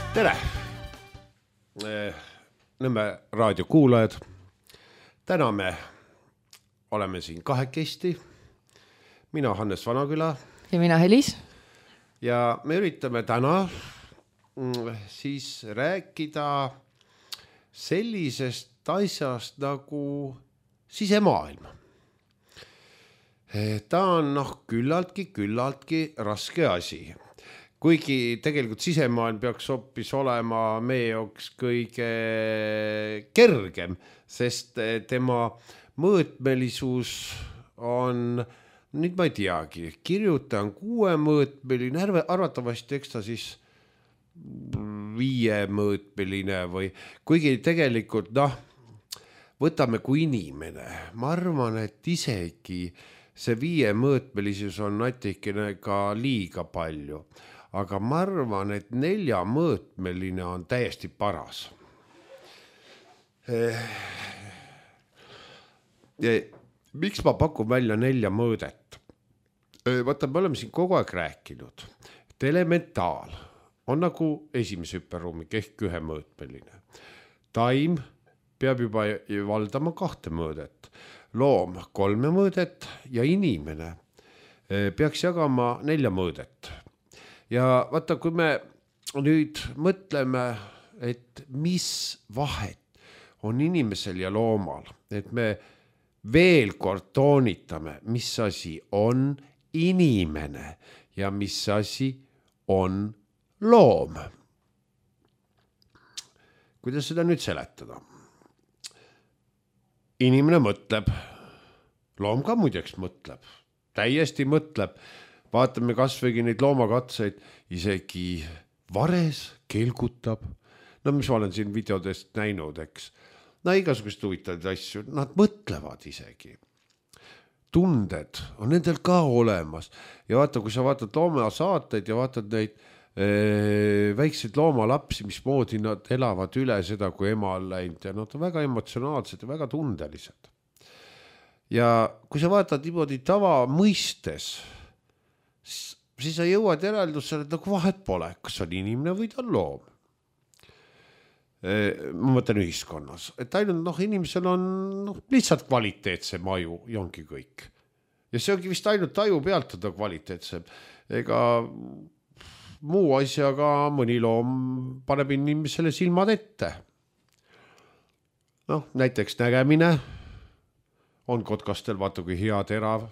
Tere! Nõmme raadiokuulajad. Täna me oleme siin kahekesti. Mina Hannes Vanaküla. Ja mina Helis. Ja me üritame täna siis rääkida sellisest asjast nagu sisemaailm. Ta on küllaltki raske asi. Kuigi tegelikult sisemaailm peaks hoopis olema meie jaoks kõige kergem, sest tema mõõtmelisus on, nüüd ma ei teagi, kirjuta on 6-mõõtmeline, arvatavasti eks ta siis 5-mõõtmeline või kuigi tegelikult võtame kui inimene. Ma arvan, et isegi see 5-mõõtmelisus on natikene ka liiga palju. Aga ma arvan, et 4-mõõtmeline on täiesti paras. Miks ma pakun välja 4 mõõdet? Vaata, me oleme siin kogu aeg rääkinud, et elementaal on nagu esimese hüperruumik ehk 1-mõõtmeline. Taim peab juba valdama 2 mõõdet, loom 3 mõõdet ja inimene peaks jagama 4 mõõdet. Ja vaata, kui me nüüd mõtleme, et mis vahet on inimesel ja loomal, et me veel kord toonitame, mis asi on inimene ja mis asi on loom. Kuidas seda nüüd seletada? Inimene mõtleb, loom ka muideks mõtleb, täiesti mõtleb. Vaatame kasvõigi neid loomakatseid, isegi vares kelgutab. No mis ma olen siin videodest näinud, eks. No igasugust huvitavaid asju, nad mõtlevad isegi. Tunded on nendel ka olemas. Ja vaata, kui sa vaatad loomasaateid ja vaatad neid väikseid loomalapsi, mismoodi nad elavad üle seda, kui ema on läinud. Ja nad on väga emotsionaalsed ja väga tundelised. Ja kui sa vaatad niimoodi tava mõistes, siis sa jõuad järeldusele, et nagu vahet pole, kas on inimene või ta on loom. Ma mõtlen ühiskonnas, et ainult inimesel on lihtsalt kvaliteetsem aju ja ongi kõik. Ja see ongi vist ainult aju pealt on kvaliteetsem. Ega muu asjaga mõni loom paneb inimesele silmad ette. Näiteks nägemine on kotkastel, vaata kui hea terav.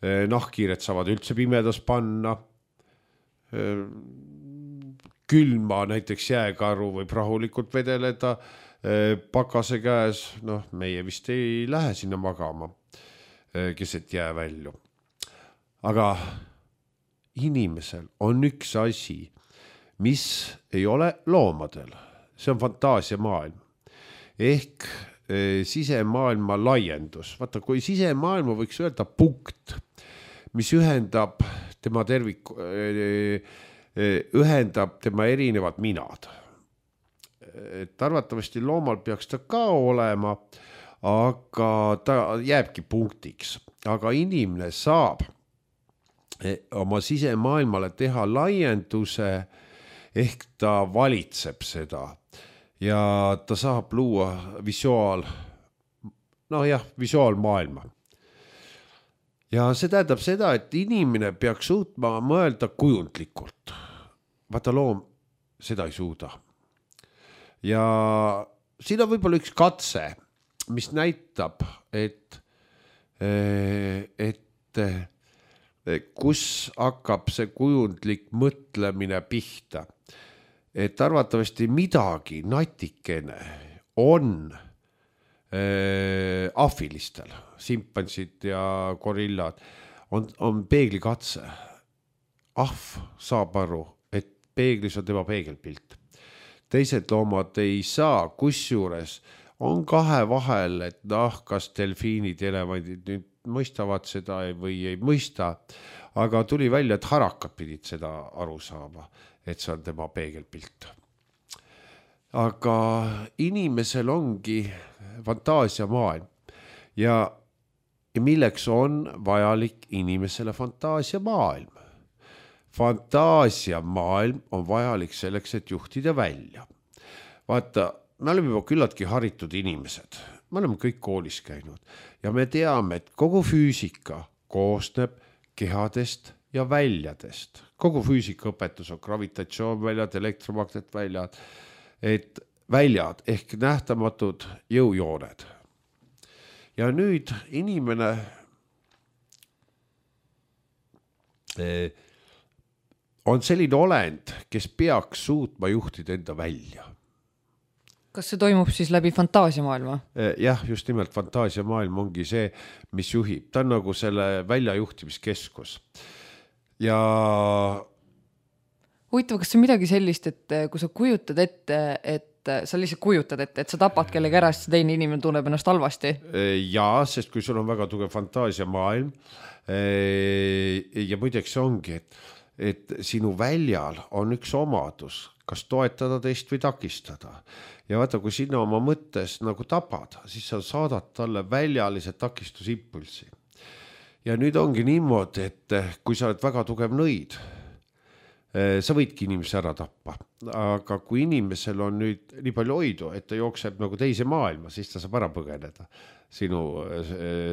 Nahkhiired saavad üldse pimedas panna. Külma näiteks jääkaru võib rahulikult vedeleda pakase käes. Meie vist ei lähe sinna magama, keset jää välju. Aga inimesel on üks asi, mis ei ole loomadel. See on fantaasiamaailm. Ehk sisemaailma laiendus. Vaata, kui sisemaailma võiks öelda punkt, mis ühendab tema ühendab tema erinevad minad. Et arvatavasti loomal peaks ta ka olema, aga ta jääbki punktiks. Aga inimene saab oma sisemaailmale teha laienduse, ehk ta valitseb seda. Ja ta saab luua visuaalmaailma. Ja see tähendab seda, et inimene peaks suutma mõelda kujundlikult. Vaata, loom seda ei suuda. Ja siin on võib-olla üks katse, mis näitab, et kus hakkab see kujundlik mõtlemine pihta. Et arvatavasti midagi natikene on ahvilistel, simpansid ja gorillad, on peeglikatse. Ahv saab aru, et peeglis on tema peegelpilt. Teised loomad ei saa, kusjuures on 2 vahel, et kas delfiinid, elevandid nüüd mõistavad seda või ei mõista, aga tuli välja, et harakad pidid seda aru saama, et see on tema peegelpilt. Aga inimesel ongi fantaasiamaailm ja milleks on vajalik inimesele fantaasiamaailm? fantaasiamaailm on vajalik selleks, et juhtida välja. Vaata, me oleme juba küllaltki haritud inimesed, me oleme kõik koolis käinud ja me teame, et kogu füüsika koosneb kehadest ja väljadest. Kogu füüsikaõpetus on gravitatsioonväljad, elektromagnetväljad, et väljad ehk nähtamatud jõujooned. Ja nüüd inimene on selline olend, kes peaks suutma juhtida enda välja. Kas see toimub siis läbi fantaasiamaailma? Jah, just nimelt fantaasiamaailm ongi see, mis juhib. Ta on nagu selle väljajuhtimiskeskus. Ja huvitav, kas see on midagi sellist, et kui sa kujutad ette, et sa lihtsalt kujutad ette, et sa tapad kellegi ära, siis teine inimene tunneb ennast halvasti? Jaa, sest kui sul on väga tugev fantaasiamaailm ja muideks ongi, et sinu väljal on üks omadus, kas toetada teist või takistada. Ja vaata, kui sina oma mõttes nagu tapad, siis sa saadad talle väljalise takistusimpulsi. Ja nüüd ongi niimoodi, et kui sa oled väga tugev nõid, sa võidki inimese ära tappa. Aga kui inimesel on nüüd nii palju hoidu, et ta jookseb nagu teise maailma, siis ta saab ära põgeneda sinu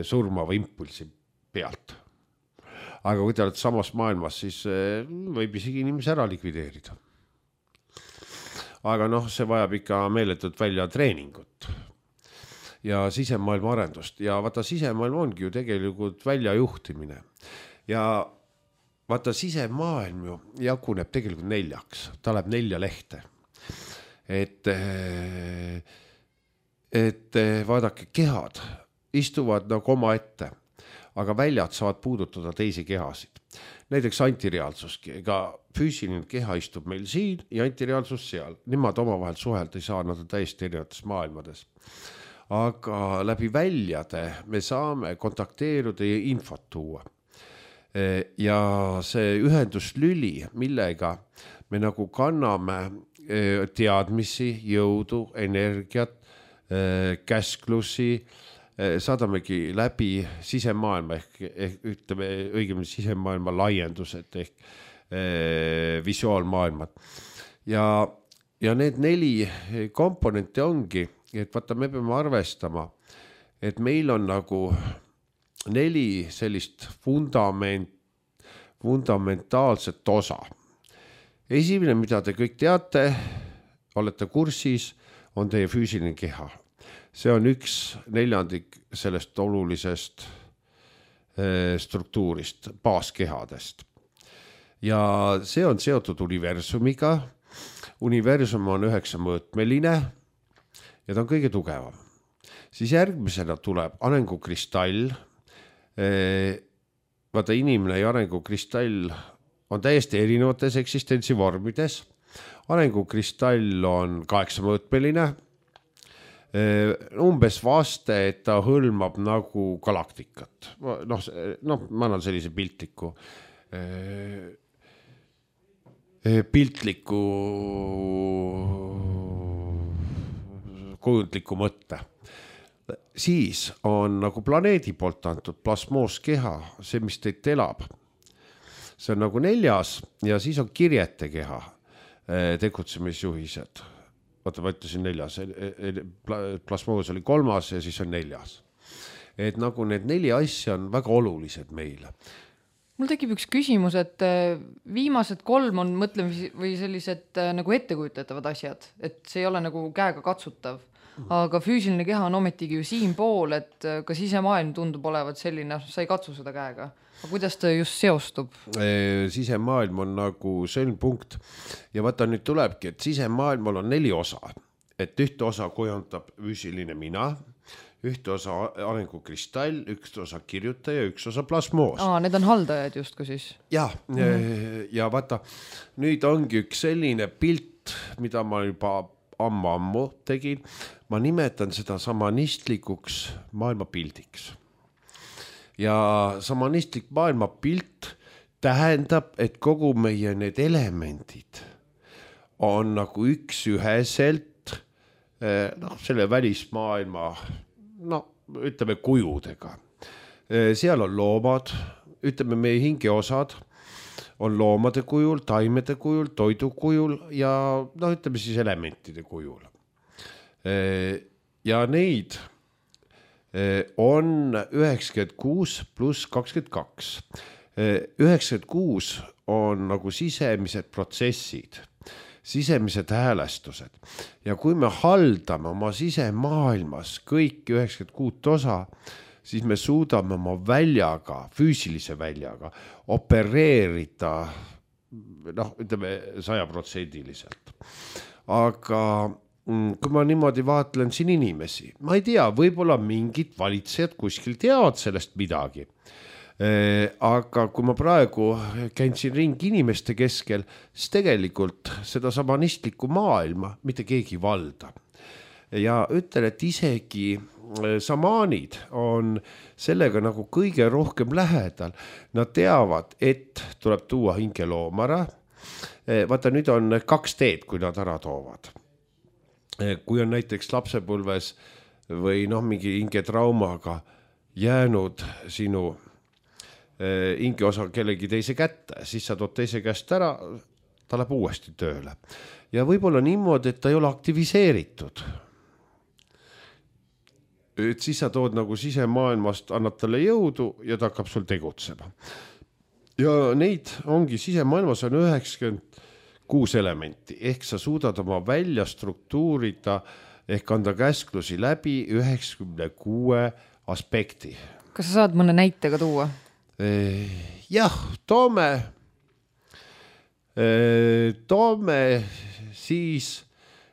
surmava impulsi pealt. Aga kui te olete samas maailmas, siis võib isegi inimese ära likvideerida. Aga see vajab ikka meeletult välja treeningut ja sisemaailma arendust. Ja vaata, sisemaailm ongi ju tegelikult väljajuhtimine. Ja vaata, sisemaailm ju jaguneb tegelikult 4. Ta läheb 4 lehte. Et vaadake, kehad istuvad nagu oma ette, aga väljad saavad puudutada teisi kehasid. Näiteks antireaalsuski, ega füüsiline keha istub meil siin ja antireaalsus seal. Nemad omavahel suhelda ei saa, nad on täiesti erinevates maailmades. Aga läbi väljade me saame kontakteeruda ja infot tuua. Ja see ühenduslüli, millega me nagu kanname teadmisi, jõudu, energiat, käsklusi, saadamegi läbi sisemaailma ehk ütleme õigemini sisemaailma laiendused ehk visuaalmaailmad. Ja need 4 komponenti ongi, et vaata, me peame arvestama, et meil on nagu 4 sellist fundamentaalset osa. Esimene, mida te kõik teate, olete kursis, on teie füüsiline keha. See on 1/4 sellest olulisest struktuurist, baaskehadest. Ja see on seotud universumiga. Universum on 9-mõõtmeline ja ta on kõige tugevam. Siis järgmisena tuleb arengukristall. Vaata, inimene ja arengukristall on täiesti erinevates eksistentsivormides. Arengukristall on 8-mõõtmeline. Umbes vaste, et ta hõlmab nagu galaktikat. Ma annan sellise piltliku kujundliku mõtte. Siis on nagu planeedi poolt antud plasmooskeha, see, mis teid elab. See on nagu 4. ja siis on kirjete keha, tegutsemisjuhised. Vaata, ma ütlesin 4. Plasmoos oli 3. ja siis on 4. Et nagu need 4 asja on väga olulised meile. Mul tekib üks küsimus, et viimased 3 on mõtlemis või sellised nagu ettekujutatavad asjad, et see ei ole nagu käega katsutav. Aga füüsiline keha on ometigi ju siin pool, et ka sisemaailm tundub olevat selline, sa ei katsu seda käega. Aga kuidas ta just seostub? Sisemaailm on nagu sõlmpunkt ja vaata, nüüd tulebki, et sisemaailmal on 4 osa. Et ühte osa kujundab füüsiline mina, ühte osa arengukristall, üks osa kirjutaja, üks osa plasmoos. Need on haldajad justku siis? Ja vaata, nüüd ongi üks selline pilt, mida ma juba ammu tegin. Ma nimetan seda samanistlikuks maailmapildiks. Ja samanistlik maailmapilt tähendab, et kogu meie need elemendid on nagu üksüheselt selle välismaailma ütleme kujudega. Seal on loomad, ütleme meie hingeosad on loomade kujul, taimede kujul, toidu kujul ja noh, ütleme siis elementide kujul. Ja neid on 96 pluss 22. 96 on nagu sisemised protsessid, sisemised häälestused ja kui me haldame oma sisemaailmas kõik 96 osa, siis me suudame oma väljaga, füüsilise väljaga opereerida noh, ütleme 100%. Aga kui ma niimoodi vaatlen siin inimesi, ma ei tea, võib-olla mingid valitsejad kuskil teavad sellest midagi. Aga kui ma praegu käin siin ringi inimeste keskel, siis tegelikult seda samanistlikku maailma mitte keegi valda. Ja ütlen, et isegi samaanid on sellega nagu kõige rohkem lähedal. Nad teavad, et tuleb tuua hingeloomara. Vaata, nüüd on 2 teed, kui nad ära toovad. Kui on näiteks lapsepõlves või noh, mingi hingetraumaga jäänud sinu hingeosa kellegi teise kätte, siis sa tood teise käest ära, ta läheb uuesti tööle. Ja võib-olla niimoodi, et ta ei ole aktiviseeritud. Et siis sa tood nagu sisemaailmast, annad talle jõudu ja ta hakkab sul tegutsema. Ja neid ongi sisemaailmas on 96 elementi, ehk sa suudad oma välja struktuurida ehk anda käsklusi läbi 96 aspekti. Kas sa saad mõne näitega tuua? Jah, toome siis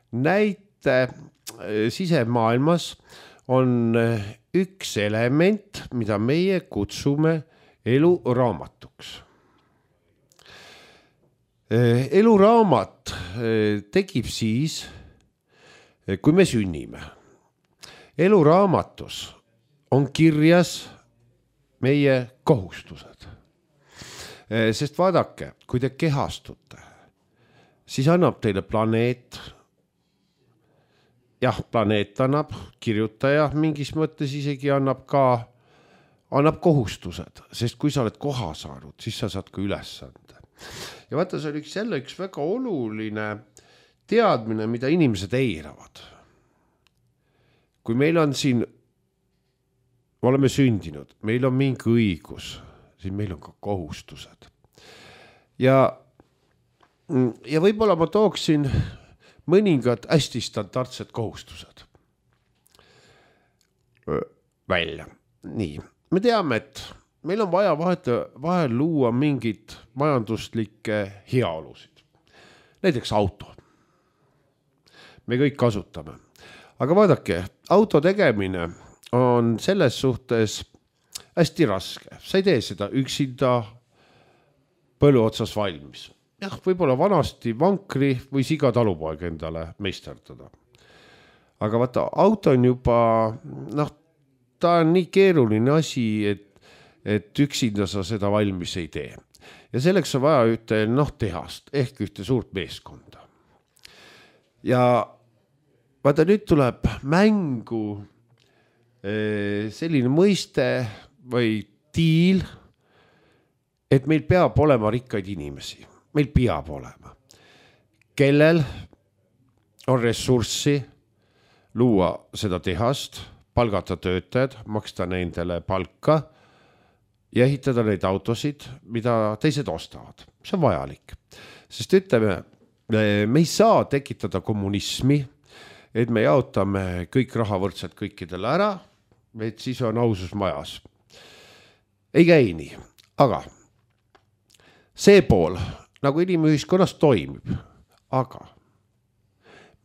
näite sisemaailmas on üks element, mida meie kutsume eluraamatuks. Eluraamat tekib siis, kui me sünnime. Eluraamatus on kirjas meie kohustused. Sest vaadake, kui te kehastute, siis annab teile planeet. Jah, planeet annab, kirjutaja mingis mõttes isegi annab kohustused, sest kui sa oled koha saanud, siis sa saad ka ülesande. Ja vaata, see on üks väga oluline teadmine, mida inimesed eiravad. Kui meil on siin oleme sündinud, meil on mingi õigus, siis meil on ka kohustused. Ja võib-olla ma tooksin mõningad hästi standardsed kohustused välja. Nii, me teame, et meil on vaja vahel luua mingid majanduslikke heaolusid. Näiteks auto. Me kõik kasutame. Aga vaadake, auto tegemine on selles suhtes hästi raske. Sa ei tee seda üksinda põllu otsas valmis. Jah, võib-olla vanasti vankri või siga talupoeg endale meisterdada. Aga vaata, auto on juba, noh, ta on nii keeruline asi, et üksinda sa seda valmis ei tee. Ja selleks on vaja ühte tehast ehk ühte suurt meeskonda. Ja vaata, nüüd tuleb mängu selline mõiste või diil, et meil peab olema rikkaid inimesi. Meil peab olema. Kellel on ressurssi luua seda tehast, palgata töötajad, maksta nendele palka ja ehitada neid autosid, mida teised ostavad. See on vajalik. Sest ütleme, me ei saa tekitada kommunismi, et me jaotame kõik raha võrdselt kõikidele ära, et siis on ausus majas. Ei käi nii, aga see pool nagu inimühiskonnas toimib, aga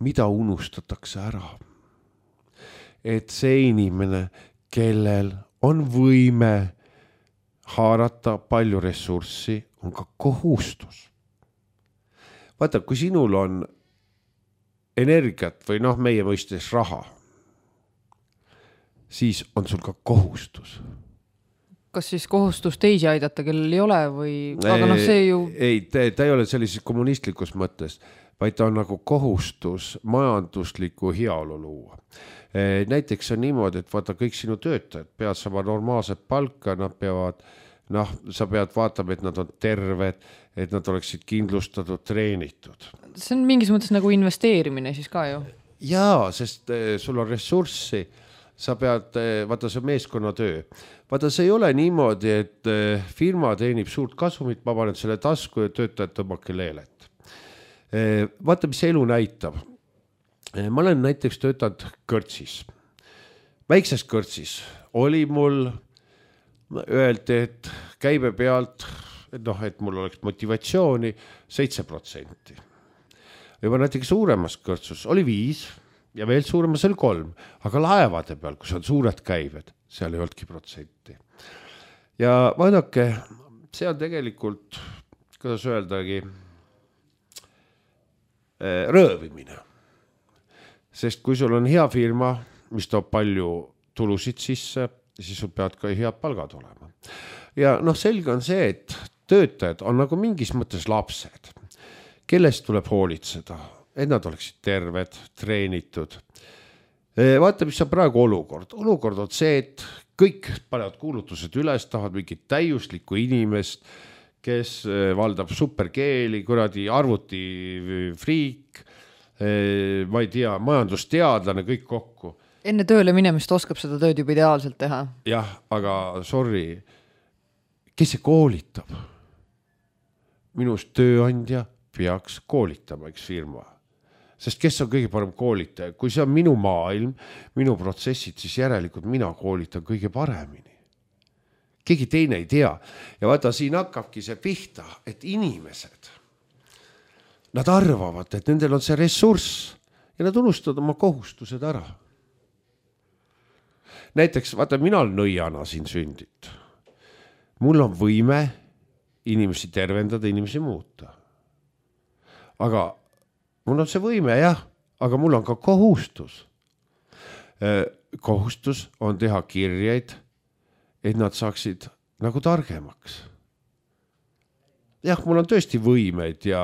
mida unustatakse ära? Et see inimene, kellel on võime haarata palju ressurssi, on ka kohustus. Vaata, kui sinul on energiat või meie mõistes raha, siis on sul ka kohustus. Kas siis kohustus teisi aidata, kellel ei ole või... Aga see ju... Ei, ta ei ole sellises kommunistlikus mõttes, vaid ta on nagu kohustus majanduslikku heaolu luua. Näiteks on niimoodi, et vaata kõik sinu töötajad peavad saama normaalset palka, nad peavad, sa pead vaatama, et nad on terved, et nad oleksid kindlustatud, treenitud. See on mingis mõttes nagu investeerimine siis ka ju. Jaa, sest sul on ressurssi, sa pead, vaata see meeskonnatöö. Vaata see ei ole niimoodi, et firma teenib suurt kasumit, ma panen selle tasku ja töötajad tõmmake leelet. Vaata, mis elu näitab. Ma olen näiteks töötanud kõrtsis. Väikses kõrtsis oli mul öeldi, et käibe pealt, et mul oleks motivatsiooni 7%. Juba näiteks suuremas kõrtsus oli 5% ja veel suuremas oli 3%, aga laevade peal, kus on suured käived, seal ei olnudki protsenti. Ja vaadake, see on tegelikult, kuidas öeldagi, röövimine. Sest kui sul on hea firma, mis toob palju tulusid sisse, siis sul peavad ka head palgad olema. Ja selge on see, et töötajad on nagu mingis mõttes lapsed, kellest tuleb hoolitseda, et nad oleksid terved, treenitud. Vaata, mis on praegu olukord. Olukord on see, et kõik panevad kuulutused üles, tahavad mingit täiuslikku inimest, kes valdab superkeeli, kuradi arvuti friik, ma ei tea, majandusteadlane, kõik kokku. Enne tööle minemist oskab seda tööd juba ideaalselt teha. Jah, aga sorry, kes see koolitab? Minust tööandja peaks koolitama üks firma. Sest kes on kõige parem koolitaja? Kui see on minu maailm, minu protsessid, siis järelikult mina koolitan kõige paremini. Keegi teine ei tea. Ja vaata, siin hakkabki see pihta, et inimesed, nad arvavad, et nendel on see ressurss ja nad unustavad oma kohustused ära. Näiteks, vaata, mina olen nõiana siin sündit. Mul on võime inimesi tervendada, inimesi muuta. Aga mul on see võime, jah, aga mul on ka kohustus. Kohustus on teha kirjeid, et nad saaksid nagu targemaks. Jah, mul on tõesti võimeid ja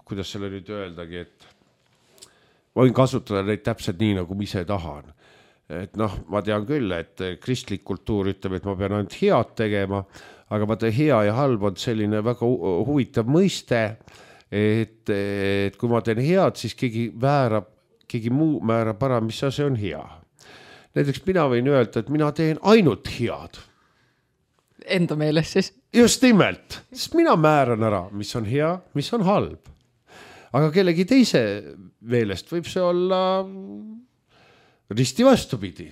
kuidas selle nüüd öeldagi, et ma võin kasutada neid täpselt nii, nagu ma ise tahan. Et ma tean küll, et kristlik kultuur ütleb, et ma pean ainult head tegema, aga vaata hea ja halb on selline väga huvitav mõiste, et kui ma teen head, siis keegi muu määrab ära, mis see on hea. Näiteks mina võin öelda, et mina teen ainult head. Enda meeles siis? Just nimelt, sest mina määran ära, mis on hea, mis on halb. Aga kellegi teise meelest võib see olla risti vastupidi.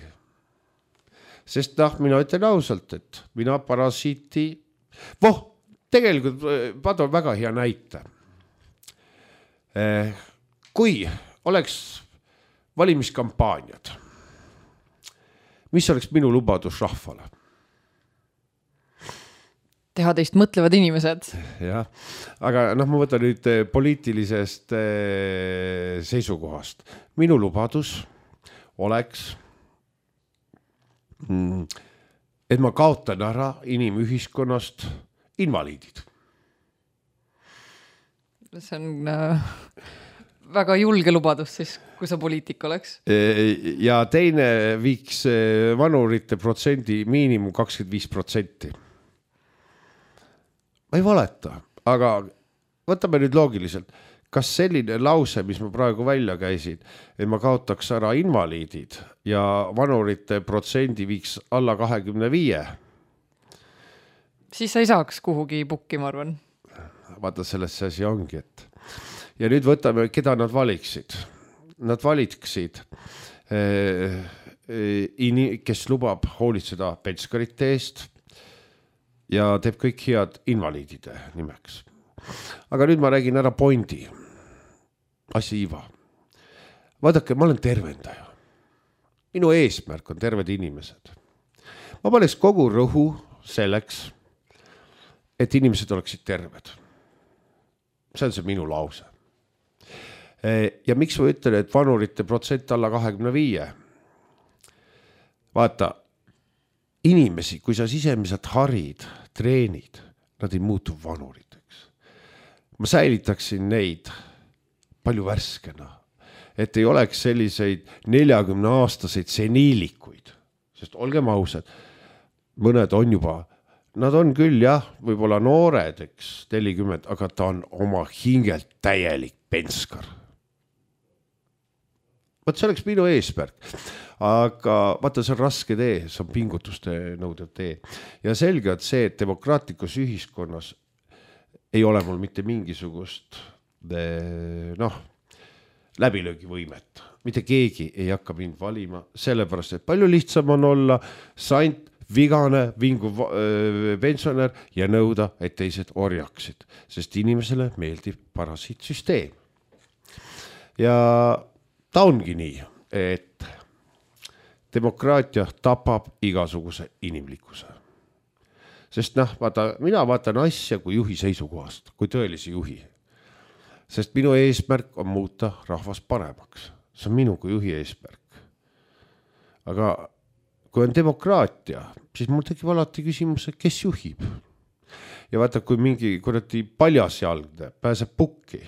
Sest mina ütlen ausalt, et mina parasiiti... tegelikult vaata on väga hea näite. Kui oleks valimiskampaaniad, mis oleks minu lubadus rahvale? Teha teist mõtlevad inimesed. Jah, aga ma võtan nüüd poliitilisest seisukohast. Minu lubadus oleks, et ma kaotan ära inimühiskonnast invaliidid. See on väga julge lubadus siis, kui sa poliitik oleks. Ja teine viiks vanurite protsendi miinimum 25%. Ma ei valeta, aga võtame nüüd loogiliselt. Kas selline lause, mis ma praegu välja käisin, et ma kaotaks ära invaliidid ja vanurite protsendi viiks alla 25? Siis sa ei saaks kuhugi pukki, ma arvan. Vaata, selles see asi ongi, et... Ja nüüd võtame, keda nad valiksid. Nad valiksid, kes lubab hoolitseda pensionäride eest, ja teeb kõik head invaliidide nimeks. Aga nüüd ma räägin ära pointi. Asja iva. Vaadake, ma olen tervendaja. Minu eesmärk on terved inimesed. Ma paneks kogu rõhu selleks, et inimesed oleksid terved. See on see minu lause. Ja miks ma ütlen, et vanurite protsent alla 25? Vaata, inimesi, kui sa sisemiselt harid, treenid, nad ei muutu vanuriteks. Ma säilitaksin neid palju värskena, et ei oleks selliseid 40-aastaseid seniilikuid, sest olgem ausad, mõned on juba nad on küll jah, võib-olla noored, eks 40, aga ta on oma hingelt täielik penskar. Vaat see oleks minu eesmärk, aga vaata, see on raske tee, see on pingutuste nõudev tee ja selge on see, et demokraatlikus ühiskonnas ei ole mul mitte mingisugust läbilöögivõimet, mitte keegi ei hakka mind valima, sellepärast, et palju lihtsam on olla sant, vigane, vinguv pensionär ja nõuda, et teised orjaksid, sest inimesele meeldib parasiitsüsteem. Ja ta ongi nii, et demokraatia tapab igasuguse inimlikkuse. Sest mina vaatan asja kui juhi seisukohast, kui tõelise juhi. Sest minu eesmärk on muuta rahvas paremaks. See on minu kui juhi eesmärk. Aga kui on demokraatia, siis mul tekib alati küsimus, kes juhib. Ja vaata, kui mingi kuradi paljasjalgne pääseb pukki,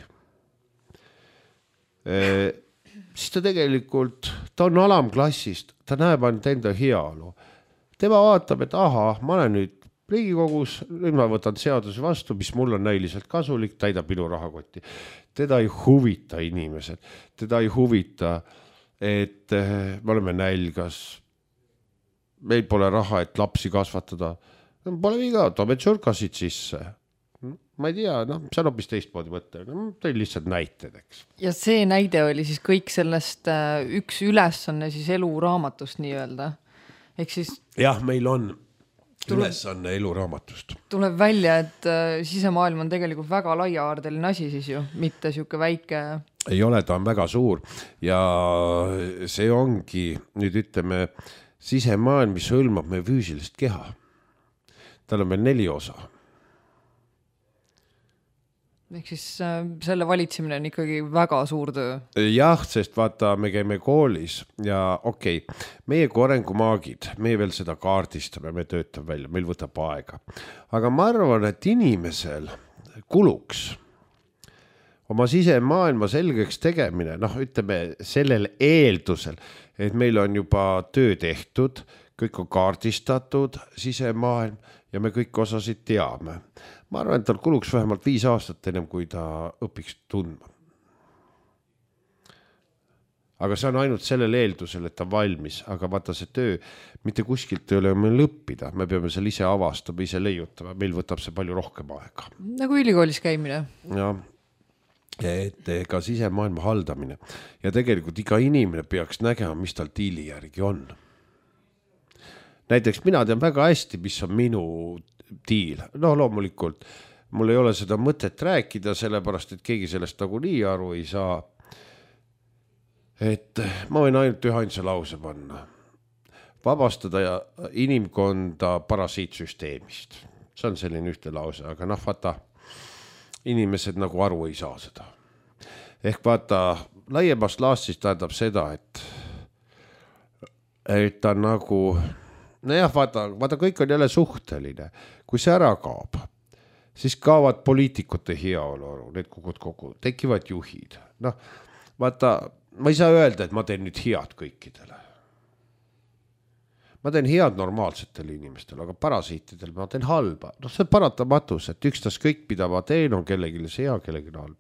siis ta tegelikult, ta on alamklassist, ta näeb ainult enda heaolu. Tema vaatab, et ma olen nüüd Riigikogus, nüüd ma võtan seaduse vastu, mis mul on näiliselt kasulik, täidab minu rahakotti. Teda ei huvita inimesed, teda ei huvita, et me oleme nälgas, meil pole raha, et lapsi kasvatada. Pole viga, toome tšurkasid sisse. Ma ei tea, see on hoopis teistmoodi mõte. Teil lihtsalt näited, eks. Ja see näide oli siis kõik sellest üks ülesanne siis eluraamatust nii öelda. Ehk siis... Jah, meil on ülesanne eluraamatust. Tuleb välja, et sisemaailm on tegelikult väga laiaardeline asi siis ju, mitte siuke väike... Ei ole, ta on väga suur ja see ongi, nüüd ütleme, sisemaailm, mis hõlmab meie füüsilist keha. Tal on veel 4 osa. Ehk siis selle valitsemine on ikkagi väga suur töö. Jah, sest vaata, me käime koolis ja meie kui arengumaagid, me veel seda kaardistame, me töötame välja, meil võtab aega. Aga ma arvan, et inimesel kuluks oma sisemaailma selgeks tegemine, ütleme sellel eeldusel, et meil on juba töö tehtud, kõik on kaardistatud sisemaailm ja me kõik osasid teame. Ma arvan, et tal kuluks vähemalt 5 aastat ennem, kui ta õpiks tundma. Aga see on ainult sellel eeldusel, et ta valmis, aga vaata see töö, mitte kuskilt ei ole meil õppida, me peame seal ise avastama, ise leiutama, meil võtab see palju rohkem aega. Nagu ülikoolis käimine. Ja, et ka sisemaailma haldamine ja tegelikult iga inimene peaks nägema, mis tal tiili järgi on. Näiteks mina tean väga hästi, mis on minu tiil. Loomulikult, mul ei ole seda mõtet rääkida, sellepärast, et keegi sellest nagu nii aru ei saa. Et ma võin ainult ühainsa lause panna. Vabastada inimkonda parasiitsüsteemist. See on selline ühte lause, aga vaata, inimesed nagu aru ei saa seda. Ehk vaata, laiemast laastist tähendab seda, et ta nagu... vaata, kõik on jälle suhteline. Kui see ära kaob, siis kaovad poliitikute heaolu, need kogu, tekivad juhid. Vaata, ma ei saa öelda, et ma teen nüüd head kõikidele. Ma teen head normaalsetele inimestele, aga parasiitidele ma teen halba. See on paratamatus, et ükstas kõik, mida ma teen, on kellelegi see hea, kellelegi halb.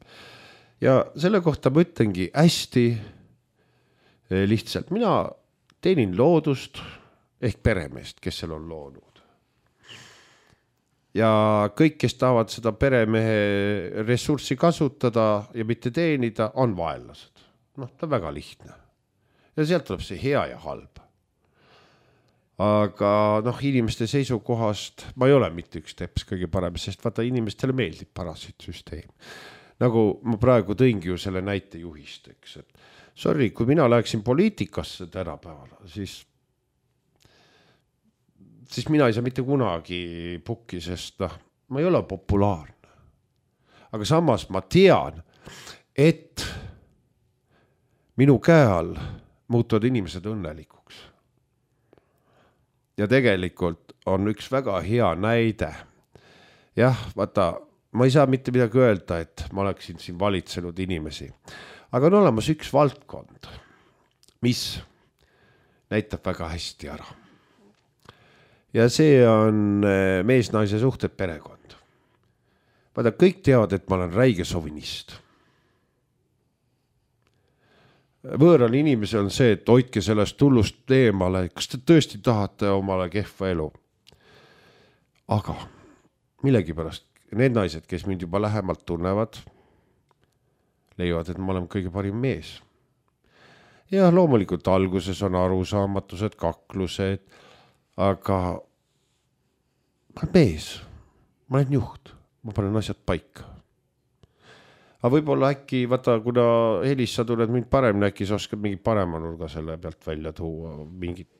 Ja selle kohta ma ütlengi hästi lihtsalt. Mina teenin loodust, ehk peremeest, kes seal on loonud. Ja kõik, kes tahavad seda peremehe ressurssi kasutada ja mitte teenida, on vaenlased. Ta on väga lihtne. Ja sealt tuleb see hea ja halb. Aga inimeste seisukohast ma ei ole mitte üks teps kõige parem, sest vaata inimestele meeldib parasiitsüsteem. Nagu ma praegu tõingi ju selle näite juhist, eks. Sorry, kui mina läheksin poliitikasse tänapäeval, siis mina ei saa mitte kunagi pukki, sest ma ei ole populaarne. Aga samas ma tean, et minu käe all muutuvad inimesed õnnelikuks. Ja tegelikult on üks väga hea näide. Jah, vaata, ma ei saa mitte midagi öelda, et ma oleksin siin valitsenud inimesi. Aga on olemas üks valdkond, mis näitab väga hästi ära. ja see on mees-naise suhted perekond. Vaata, kõik teavad, et ma olen räige sovinist. Võõral inimesel on see, et hoidke sellest hullust eemale, kas te tõesti tahate omale kehva elu. Aga millegipärast need naised, kes mind juba lähemalt tunnevad, leiavad, et ma olen kõige parim mees. Ja loomulikult alguses on arusaamatused, kaklused, aga ma olen mees, ma olen juht, ma panen asjad paika. Aga võib-olla äkki, vaata, kuna Helis, sa tuled mind paremini, äkki sa oskad mingi parema nurga selle pealt välja tuua, mingit,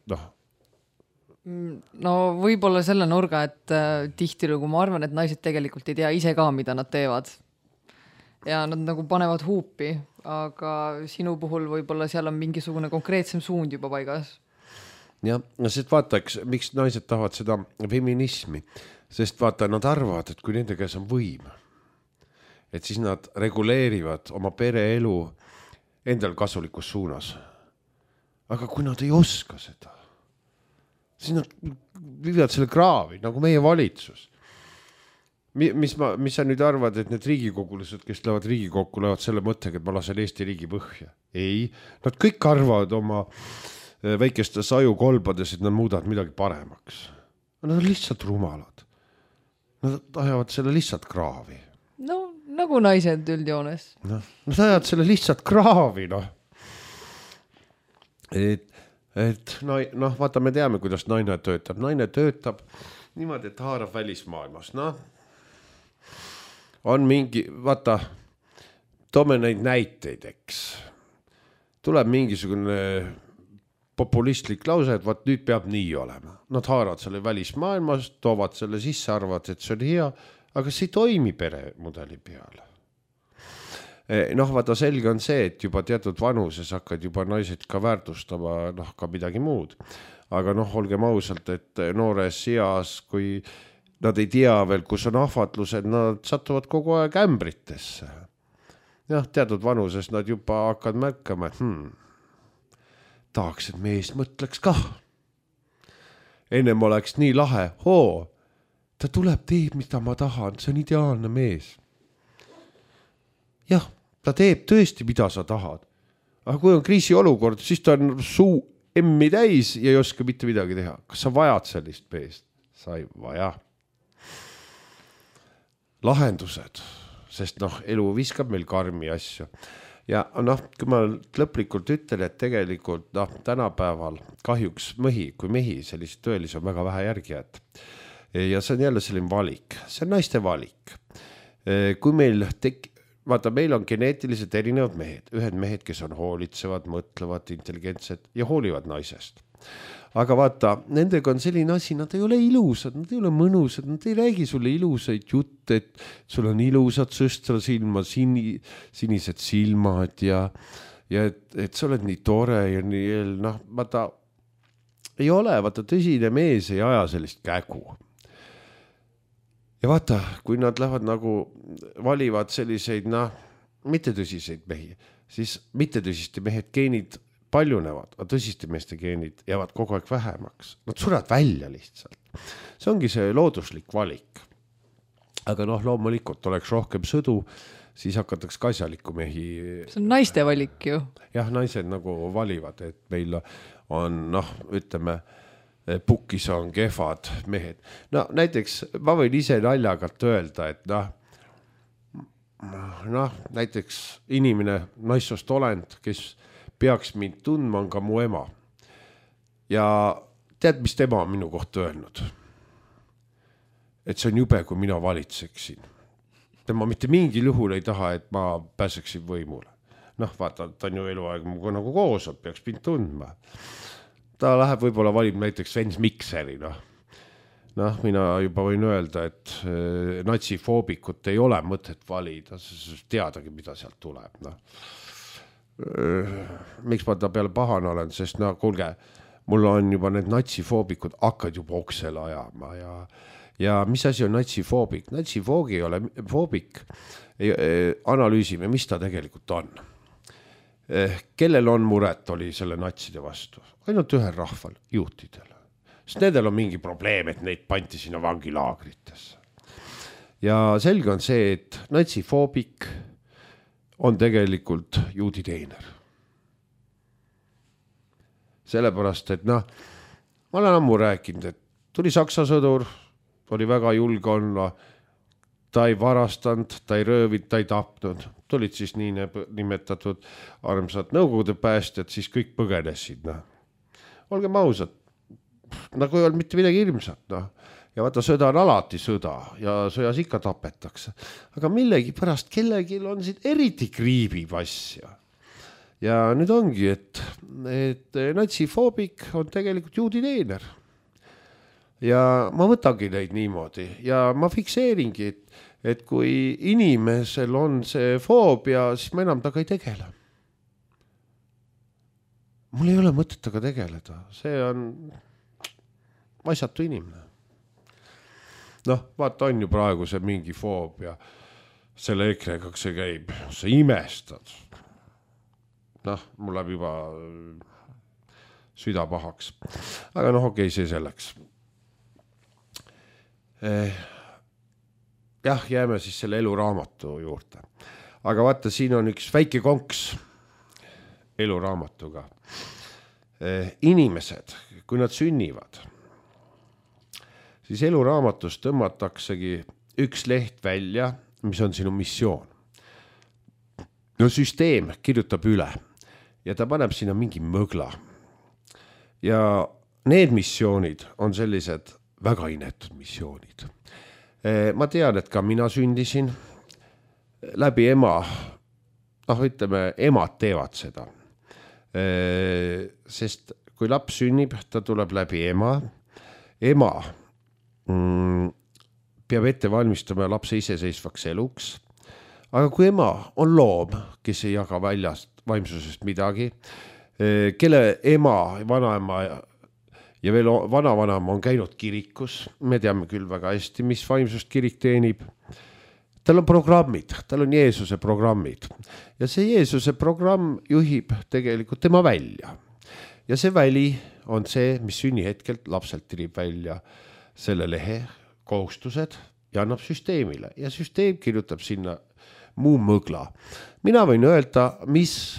No võib-olla selle nurga, et tihtilugu ma arvan, et naised tegelikult ei tea ise ka, mida nad teevad. Ja nad nagu panevad huupi, aga sinu puhul võib-olla seal on mingisugune konkreetsem suund juba paigas. Ja, sest vaataks, miks naised tahavad seda feminismi, sest vaata, nad arvavad, et kui nende käes on võim, et siis nad reguleerivad oma pereelu endal kasulikus suunas. Aga kui nad ei oska seda, siis nad viivad selle kraavi, nagu meie valitsus. Mis sa nüüd arvad, et need riigikogulased, kes lähevad Riigikokku, lähevad selle mõttega, et ma lasen Eesti riigi põhja? Ei, nad kõik arvavad oma väikestes ajukolbades, et nad muudavad midagi paremaks. Nad on lihtsalt rumalad. Nad ajavad selle lihtsalt kraavi. No, nagu naised üldjoones. Nad ajavad selle lihtsalt kraavi, Et vaata, me teame, kuidas naine töötab. Naine töötab niimoodi, et haarab välismaailmas. On mingi, vaata, toome neid näiteid, eks. Tuleb mingisugune populistlik lause, et vaat nüüd peab nii olema. Nad haaravad selle välismaailmas, toovad selle sisse, arvavad, et see on hea, aga see ei toimi peremudeli peale. Vaata, selge on see, et juba teatud vanuses hakkad juba naised ka väärtustama ka midagi muud. Aga olgem ausalt, et noores eas, kui nad ei tea veel, kus on ahvatlused, nad satuvad kogu aeg ämbritesse. Teatud vanuses nad juba hakkad märkama, et tahaks, et mees mõtleks kah. Ennem oleks nii lahe, ta tuleb, teeb, mida ma tahan, see on ideaalne mees. Jah, ta teeb tõesti, mida sa tahad. Aga kui on kriisiolukord, siis ta on suu emmi täis ja ei oska mitte midagi teha. Kas sa vajad sellist meest? Sa ei vaja. Lahendused, sest elu viskab meil karmi asju. Ja kui ma lõplikult ütlen, et tegelikult tänapäeval kahjuks kui mehi sellise tõelisi on väga vähe järgijad. Ja see on jälle selline valik. See on naiste valik. Kui meil vaata, meil on geneetiliselt erinevad mehed. Ühed mehed, kes on hoolitsevad, mõtlevad, intelligentsed ja hoolivad naisest. Aga vaata, nendega on selline asi, nad ei ole ilusad, nad ei ole mõnusad, nad ei räägi sulle ilusaid jutte, et sul on ilusad sõstrasilma, sinised silmad ja et sa oled nii tore ja nii, vaata, ei ole, vaata, tõsine mees ei aja sellist kägu. Ja vaata, kui nad lähevad valivad selliseid, mittetõsiseid mehi, siis mittetõsiste mehed geenid paljunevad, aga tõsiste meeste geenid jäävad kogu aeg vähemaks. Nad surevad välja lihtsalt. See ongi see looduslik valik. Aga loomulikult oleks rohkem sõdu, siis hakatakse ka asjalikku mehi. See on naiste valik ju. Jah, naised valivad, et meil on, ütleme, pukis on kehvad mehed. Näiteks ma võin ise naljagalt öelda, et näiteks inimene, naissoost olend, kes peaks mind tundma, on ka mu ema. Ja tead, mis tema on minu kohta öelnud? Et see on jube, kui mina valitseksin. Tema mitte mingil juhul ei taha, et ma pääseksin võimule. Vaata, ta on ju eluaeg nagu koos, peaks mind tundma. Ta läheb võib-olla valib näiteks Sven Mikseri. Mina juba võin öelda, et natsifoobikut ei ole mõtet valida, teadagi, mida sealt tuleb. Miks ma ta peale pahane olen, sest kuulge, mul on juba need natsifoobikud hakkad juba oksele ajama ja mis asi on natsifoobik? Natsifoobik ei ole foobik. Analüüsime, mis ta tegelikult on. Kellel on muret oli selle natside vastu? Ainult ühel rahval, juutidel. sest nendel on mingi probleem, et neid pandi sinna vangilaagritesse. Ja selge on see, et natsifoobik on tegelikult juudi teener. Sellepärast, et ma olen ammu rääkinud, et tuli Saksa sõdur, oli väga julge olla, ta ei varastanud, ta ei röövinud, ta ei tapnud, tulid siis nii nimetatud armsad nõukogude päästjad, siis kõik põgenesid. Olgem ausad, nagu ei olnud mitte midagi hirmsat. Ja vaata, sõda on alati sõda ja sõjas ikka tapetakse. Aga millegi pärast kellelgi on siin eriti kriibib asja. Ja nüüd ongi, et natsifoobik on tegelikult juudi teener. Ja ma võtangi neid niimoodi ja ma fikseeringi, et kui inimesel on see foobia, siis ma enam taga ei tegele. Mul ei ole mõtet taga tegeleda, see on asjatu inimene. Vaata on ju praegu see mingi foobia, selle EKRE-ga see käib, sa imestad. Mul läheb juba süda pahaks. Aga okei, see selleks. Jah, jääme siis selle eluraamatu juurde. Aga vaata, siin on üks väike konks eluraamatuga. Inimesed, kui nad sünnivad, siis eluraamatus tõmmataksegi üks leht välja, mis on sinu missioon. Süsteem kirjutab üle ja ta paneb sinna mingi mõgla. Ja need missioonid on sellised väga inetud missioonid. Ma tean, et ka mina sündisin läbi ema, ütleme, emad teevad seda. Sest kui laps sünnib, ta tuleb läbi ema peab ette valmistama lapse iseseisvaks eluks. Aga kui ema on loom, kes ei jaga väljast vaimsusest midagi, kelle ema, vanaema ja veel vanavanam on käinud kirikus, me teame küll väga hästi, mis vaimsust kirik teenib. Tal on programmid, tal on Jeesuse programmid ja see Jeesuse programm juhib tegelikult tema välja. Ja see väli on see, mis sünnihetkelt lapselt tirib välja selle lehe kohustused ja annab süsteemile ja süsteem kirjutab sinna muu mõgla. Mina võin öelda, mis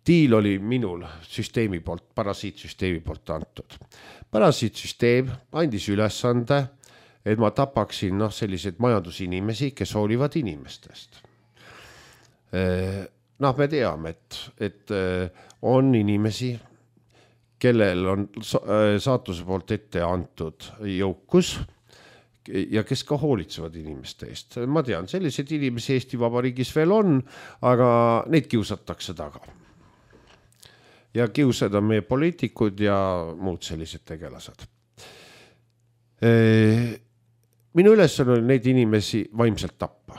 diil oli minul süsteemi poolt, parasiitsüsteemi poolt antud. Parasiitsüsteem andis ülesande, et ma tapaksin sellised majandusinimesi, kes hoolivad inimestest. Me teame, et on inimesi, kellel on saatuse poolt ette antud jõukus ja kes ka hoolitsevad inimeste eest. Ma tean, sellised inimesi Eesti Vabariigis veel on, aga neid kiusatakse taga. Ja kiusad on meie poliitikud ja muud sellised tegelased. Minu ülesanne oli neid inimesi vaimselt tappa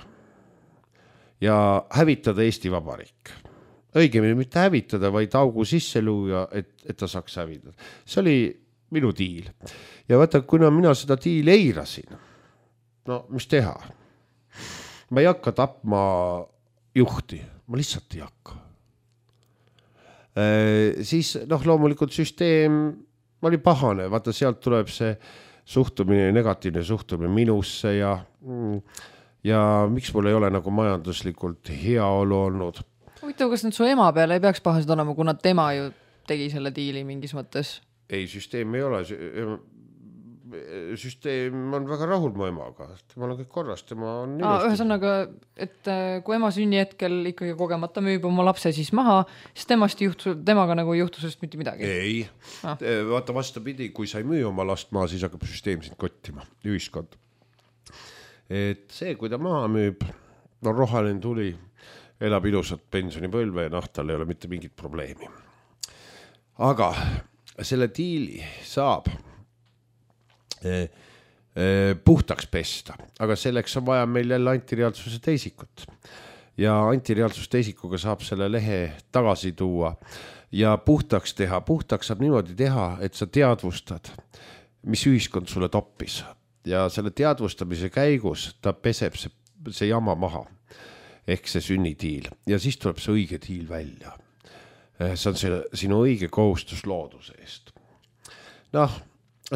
ja hävitada Eesti Vabariik. Õigemini mitte hävitada, vaid augu sisse luua, et ta saaks hävitada. See oli minu diil. Ja vaata, kuna mina seda diili eirasin, mis teha? Ma ei hakka tapma juhti, ma lihtsalt ei hakka. Siis loomulikult süsteem oli pahane, vaata sealt tuleb see suhtumine, negatiivne suhtumine minusse ja miks mul ei ole nagu majanduslikult heaolu olnud. Huvitav, kas nüüd su ema peale ei peaks pahased olema, kuna tema ju tegi selle diili mingis mõttes? Ei, süsteem ei ole. Süsteem on väga rahul mu emaga. Tema on kõik korras, tema on ilusti. Ühesõnaga, et kui ema sünni hetkel ikkagi kogemata müüb oma lapse siis maha, siis temaga nagu juhtusest mitte midagi? Ei. Vaata vastapidi, kui sa ei müü oma last maha, siis hakkab süsteem sind kottima, ühiskond. Et see, kui ta maha müüb, rohaline tuli, elab ilusat pensionipõlve ja tal ei ole mitte mingit probleemi. Aga selle diili saab puhtaks pesta, aga selleks on vaja meil jälle antireaalsuse teisikut. Ja antireaalsuse teisikuga saab selle lehe tagasi tuua ja puhtaks teha. Puhtaks saab niimoodi teha, et sa teadvustad, mis ühiskond sulle toppis. Ja selle teadvustamise käigus ta peseb see jama maha. Ehk see sünnitiil. Ja siis tuleb see õige tiil välja. See on sinu õige kohustus looduse eest.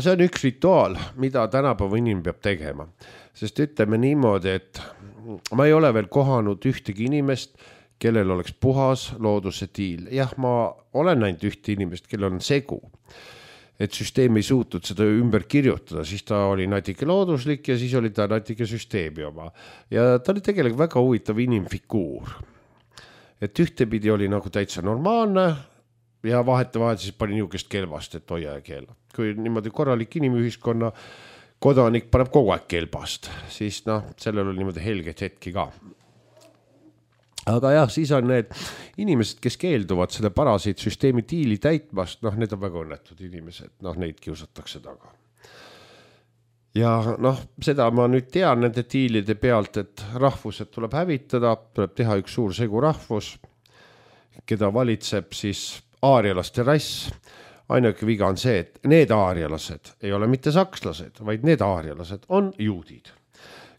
see on üks rituaal, mida tänapäeva inimene peab tegema, sest ütleme niimoodi, et ma ei ole veel kohanud ühtegi inimest, kellel oleks puhas looduse tiil. Jah, ma olen näinud ühte inimest, kellel on segu, et süsteem ei suutnud seda ümber kirjutada, siis ta oli natuke looduslik ja siis oli ta natuke süsteemi oma. Ja ta oli tegelikult väga huvitav inimfiguur. Et ühtepidi oli nagu täitsa normaalne ja vahetevahel siis pani niisugust kelbast, et hoia ja keela. Kui niimoodi korralik inimühiskonna kodanik paneb kogu aeg kelbast, siis sellel oli niimoodi helget hetki ka. Aga jah, siis on need inimesed, kes keelduvad selle parasiitsüsteemi tiili täitmast, need on väga õnnetud inimesed, neid kiusatakse taga. Ja seda ma nüüd tean nende tiilide pealt, et rahvused tuleb hävitada, tuleb teha üks suur segu rahvus, keda valitseb siis aarialaste rass. Ainuke viga on see, et need aarialased ei ole mitte sakslased, vaid need aarialased on juudid,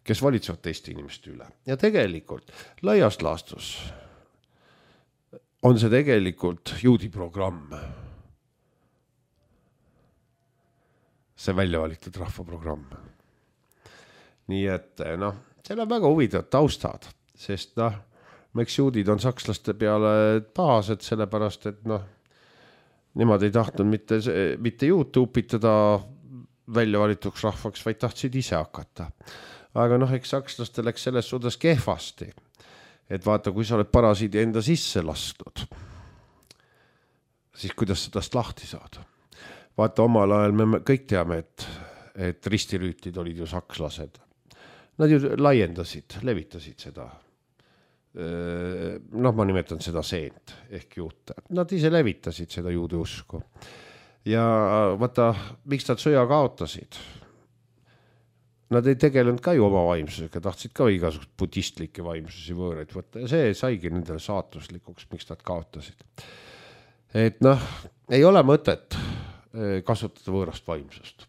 kes valitsevad teiste inimeste üle. Ja tegelikult laias laastus on see tegelikult juudi programm. See välja valitud rahvaprogramm. Nii et seal on väga huvitavad taustad, sest miks juudid on sakslaste peale pahased, sellepärast, et nemad ei tahtnud mitte juute upitada välja valituks rahvaks, vaid tahtsid ise hakata. Aga eks sakslastel läks selles suudas kehvasti, et vaata, kui sa oled parasiidi enda sisse lastud, siis kuidas sa tast lahti saad? Vaata, omal ajal me kõik teame, et ristirüütid olid ju sakslased. Nad ju laiendasid, levitasid seda. Ma nimetan seda seent ehk juute. Nad ise levitasid seda juudi usku. Ja vaata, miks nad sõja kaotasid? Nad ei tegelenud ka ju oma vaimsusega, tahtsid ka igasugust budistlikke vaimsusi võõreid võtta ja see saigi nendele saatuslikuks, miks nad kaotasid. Et ei ole mõtet kasutada võõrast vaimsust.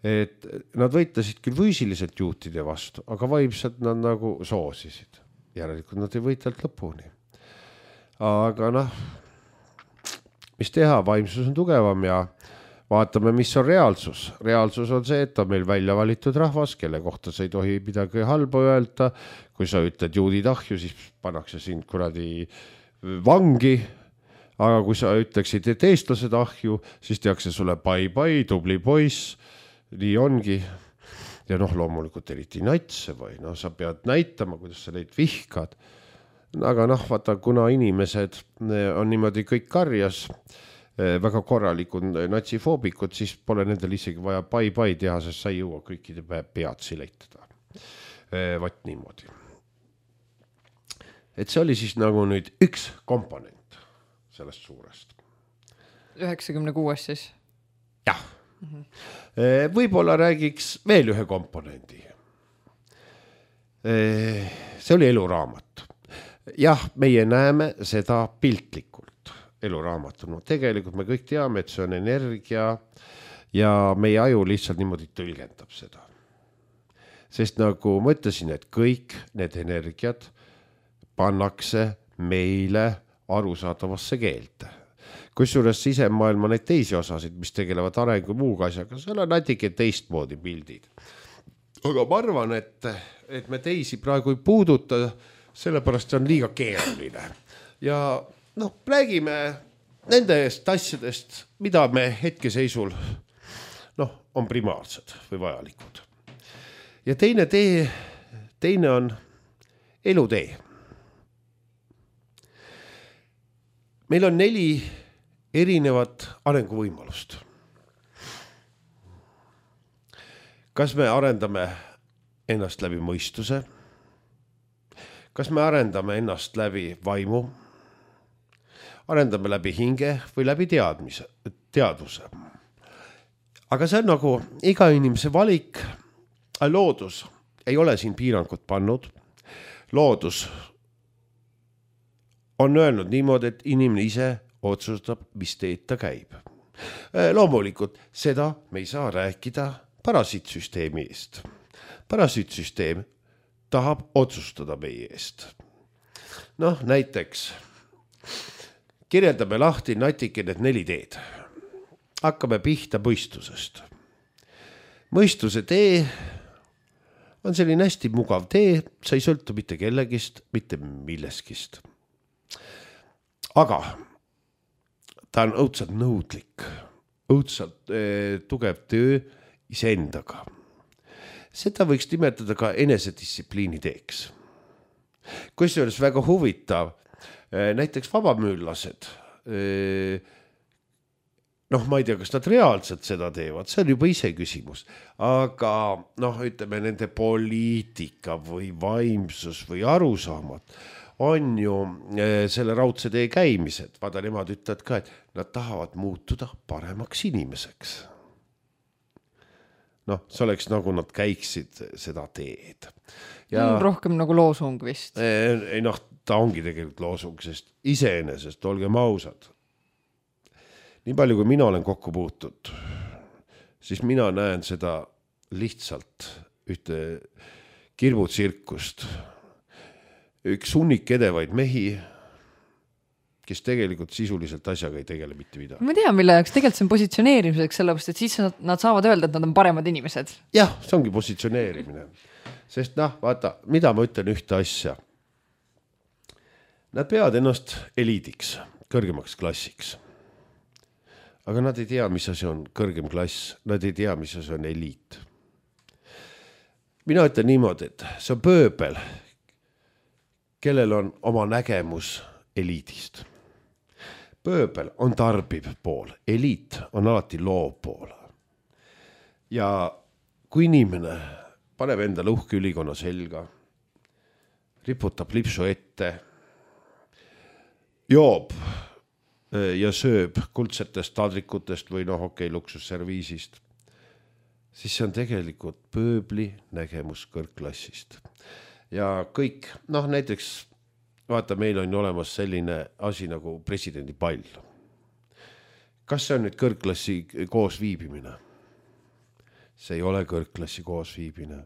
Et nad võitlesid küll füüsiliselt juutide vastu, aga vaimselt nad nagu soosisid. Järelikult nad ei võitlelt lõpuni. Aga mis teha, vaimsus on tugevam ja vaatame, mis on reaalsus. Reaalsus on see, et on meil välja valitud rahvas, kelle kohta sa ei tohi midagi halba öelda. Kui sa ütled juudid ahju, siis pannakse sind kuradi vangi. Aga kui sa ütleksid, et eestlased ahju, siis tehakse sulle bai-bai, tubli poiss. Nii ongi. Ja loomulikult eriti natse või sa pead näitama, kuidas sa neid vihkad. Aga vaata, kuna inimesed on niimoodi kõik karjas, väga korralikud natsifoobikud, siis pole nendel isegi vaja bai-bai teha, sest sa ei jõua kõikide pead sileitada. Vaat niimoodi. Et see oli siis nagu nüüd üks komponent sellest suurest. 96 siis? Jah. Võib-olla räägiks veel ühe komponendi. See oli eluraamat. Jah, meie näeme seda piltlikult eluraamatuna. Tegelikult me kõik teame, et see on energia ja meie aju lihtsalt niimoodi tõlgendab seda. Sest nagu ma ütlesin, et kõik need energiat pannakse meile arusaadavasse keelte. Kusjuures sisemaailma neid teisi osasid, mis tegelevad arengu muuga asjaga, seal on natuke teistmoodi pildid. Aga ma arvan, et me teisi praegu ei puuduta, sellepärast see on liiga keeruline. Ja räägime nendest asjadest, mida me hetkeseisul on primaarsed või vajalikud. Ja teine on elutee. Meil on 4 erinevat arenguvõimalust. Kas me arendame ennast läbi mõistuse? Kas me arendame ennast läbi vaimu? Arendame läbi hinge või läbi teadvuse? Aga see on nagu iga inimese valik. Loodus ei ole siin piirangut pannud. Loodus on öelnud niimoodi, et inimene ise otsustab, mis teed ta käib. Loomulikult seda me ei saa rääkida parasiitsüsteemi eest. Parasiitsüsteem tahab otsustada meie eest. Näiteks kirjeldame lahti natuke need 4 teed. Hakkame pihta mõistusest. mõistuse tee on selline hästi mugav tee, sa ei sõltu mitte kellegist, mitte milleskist. Aga ta on õudselt nõudlik, õudselt tugev töö iseendaga. Seda võiks nimetada ka enesedistsipliini teeks. Kusjuures väga huvitav, näiteks vabamüüllased, ma ei tea, kas nad reaalselt seda teevad, see on juba ise küsimus, aga ütleme nende poliitika või vaimsus või arusaamad on ju selle raudse tee käimised. Vaada, nemad ütlevad ka, et nad tahavad muutuda paremaks inimeseks. See oleks nagu nad käiksid seda teed. Rohkem nagu loosung vist. Ta ongi tegelikult loosung, sest iseenesest, olgem ausad, nii palju kui mina olen kokku puutud, siis mina näen seda lihtsalt ühte kirbutsirkust. Üks hunnik edevaid mehi, kes tegelikult sisuliselt asjaga ei tegele mitte midagi. Ma tean, mille jaoks tegelikult see on positsioneerimiseks, sellepärast, et siis nad saavad öelda, et nad on paremad inimesed. Jah, see ongi positsioneerimine. Sest vaata, mida ma ütlen ühte asja. Nad peavad ennast eliidiks, kõrgemaks klassiks. Aga nad ei tea, mis asi on kõrgem klass, nad ei tea, mis asi on eliit. Mina ütlen niimoodi, et see on pööbel, kellel on oma nägemus eliidist. Pööbel on tarbiv pool, eliit on alati loov pool. Ja kui inimene paneb endale uhke ülikonna selga, riputab lipsu ette, joob ja sööb kuldsetest tadrikutest või luksusserviisist, siis see on tegelikult pööbli nägemus kõrgklassist. Ja kõik, näiteks vaata, meil on olemas selline asi nagu presidendi pall. Kas see on nüüd kõrgklassi koosviibimine? See ei ole kõrgklassi koosviibimine.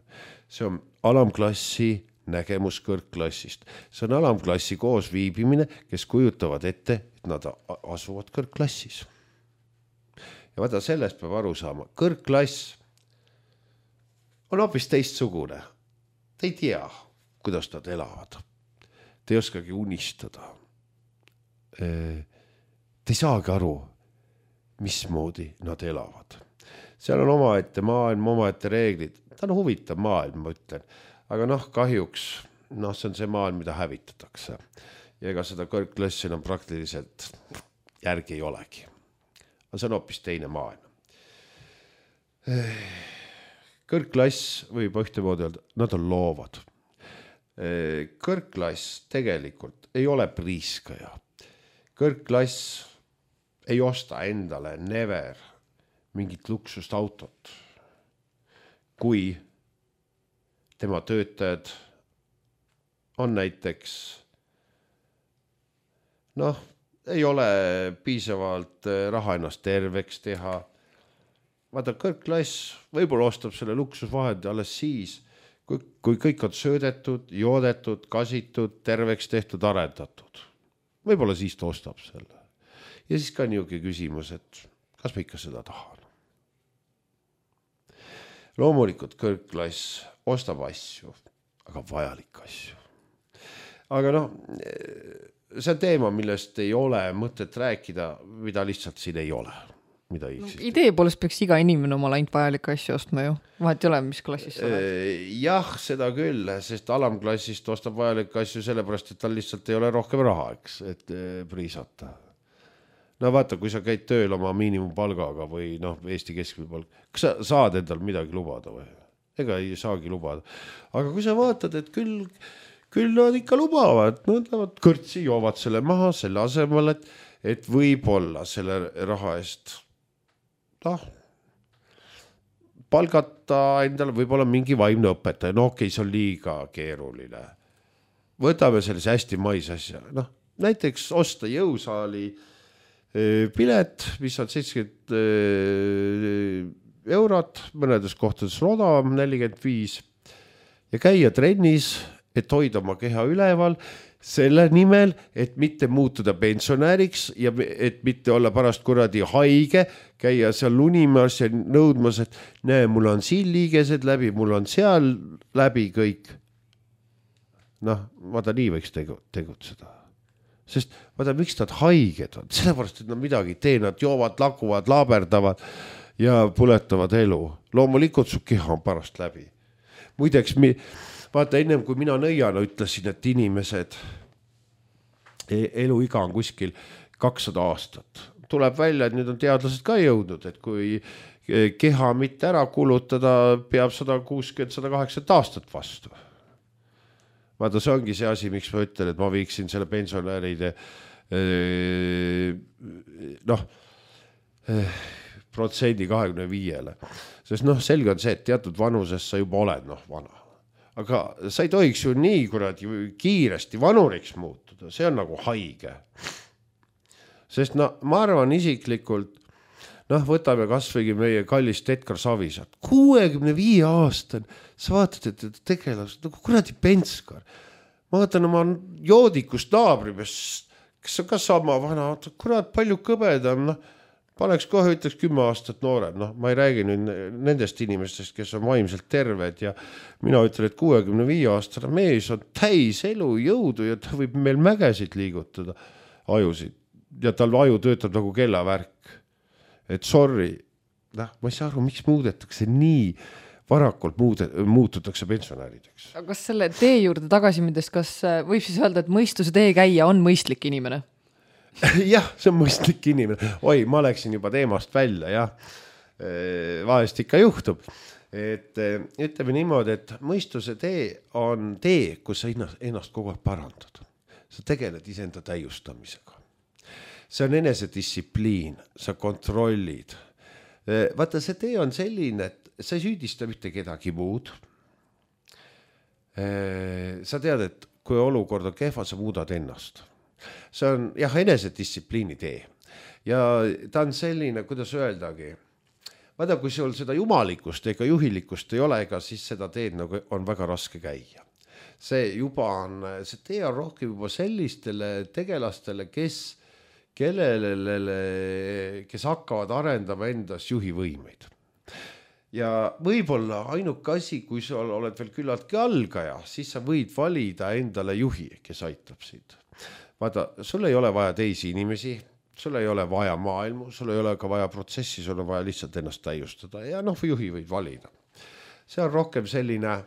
See on alamklassi nägemus kõrgklassist. See on alamklassi koosviibimine, kes kujutavad ette, et nad asuvad kõrgklassis. Ja vaata, sellest peab aru saama. Kõrgklass on hoopis teistsugune. Te ei tea, kuidas nad elavad. Te ei oskagi unistada. Te ei saagi aru, mismoodi nad elavad. Seal on omaette maailm, omaette reeglid. Ta on huvitav maailm, ma ütlen. Aga kahjuks, see on see maailm, mida hävitatakse. Ja ega seda kõrgklassi enam praktiliselt järgi ei olegi. Aga see on hoopis teine maailm. Kõrgklass võib ühtemoodi öelda, nad on loovad. Kõrgklass tegelikult ei ole priiskaja. Kõrgklass ei osta endale never mingit luksust autot. Kui tema töötajad on näiteks, ei ole piisavalt raha ennast terveks teha. Vaata, kõrgklass võib-olla ostab selle luksusvahendi alles siis, kui kõik on söödetud, joodetud, kasitud, terveks tehtud, arendatud. Võib-olla siis ta ostab selle. Ja siis ka niuke küsimus, et kas ma ikka seda tahan. Loomulikult kõrgklass ostab asju, aga vajalik asju. Aga see on teema, millest ei ole mõtet rääkida, mida lihtsalt siin ei ole. Idee poolest peaks iga inimene omale ainult vajalik asju ostma ju. Vahet ei ole, mis klassis sa oled. Jah, seda küll, sest alamklassist ostab vajalik asju sellepärast, et tal lihtsalt ei ole rohkem raha, et priisata. Vaata, kui sa käid tööl oma miinimumpalgaga või Eesti keskmine palk, kas sa saad endal midagi lubada või? Ega ei saagi lubada. Aga kui sa vaatad, et küll nad ikka lubavad, nad kõrtsi joovad selle maha selle asemel, et võib-olla selle raha eest palgata endale võib-olla mingi vaimne õpetaja. Okei, see on liiga keeruline. Võtame sellise hästi mais asja. Näiteks osta jõusaali pilet, mis on 70 eurot, mõnedes kohtades odavam 45 ja käia trennis, et hoida oma keha üleval, selle nimel, et mitte muutuda pensionäriks ja et mitte olla pärast kuradi haige, käia seal lunimas ja nõudmas, et näe, mul on siin liigesed läbi, mul on seal läbi kõik. Noh, vaata nii võiks tegutseda. Sest vaata, miks nad haiged on? Sellepärast, et nad midagi tee, nad joovad, lakuvad, laaberdavad ja puletavad elu. Loomulikult su keha on pärast läbi. Muideks, vaata ennem kui mina nõiana ütlesin, et inimesed eluiga on kuskil 200 aastat. Tuleb välja, et nüüd on teadlased ka jõudnud, et kui keha mitte ära kulutada, peab 160-180 aastat vastu. Vaata, see ongi see asi, miks ma ütlen, et ma viiksin selle pensionäride protsendi 25-le. Sest selge on see, et teatud vanuses sa juba oled vana. Aga sa ei tohiks ju nii kuradi kiiresti vanuriks muutuda, see on nagu haige. Sest ma arvan isiklikult, võtame kasvõigi meie kallist Edgar Savisaart, 65 aastane, sa vaatad, et tegelased, nagu kuradi Penskar. Ma vaatan oma joodikust naabripest, kes on ka sama vana, kurat palju kõbedam, paneks kohe ütleks 10 aastat noorem, ma ei räägi nüüd nendest inimestest, kes on vaimselt terved ja mina ütlen, et 65 aastane mees on täis elu jõudu ja ta võib meil mägesid liigutada ajusid ja tal aju töötab nagu kellavärk. Et sorry, ma ei saa aru, miks muudetakse nii varakult muututakse pensionärideks. Aga kas selle tee juurde tagasi mindes, kas võib siis öelda, et mõistuse tee käia on mõistlik inimene? Jah, see on mõistlik inimene. Oi, ma läksin juba teemast välja, jah. Vahest ikka juhtub. Et ütleme niimoodi, et mõistuse tee on tee, kus sa ennast kogu aeg parandad. Sa tegeled iseenda täiustamisega. See on enesedistsipliin, sa kontrollid. Vaata, see tee on selline, et sa ei süüdista mitte kedagi muud. Sa tead, et kui olukord on kehva, sa muudad ennast. See on enesedistsipliini tee ja ta on selline, kuidas öeldagi, vaata, kui sul seda jumalikust ega juhilikust ei ole, ega siis seda teed on väga raske käia. See tee on rohkem juba sellistele tegelastele, kes hakkavad arendama endas juhivõimeid. Ja võib-olla ainuke asi, kui sa oled veel küllaltki algaja, siis sa võid valida endale juhi, kes aitab sind. Vaata, sul ei ole vaja teisi inimesi, sul ei ole vaja maailmu, sul ei ole ka vaja protsessi, sul on vaja lihtsalt ennast täiustada ja juhi võid valida. See on rohkem selline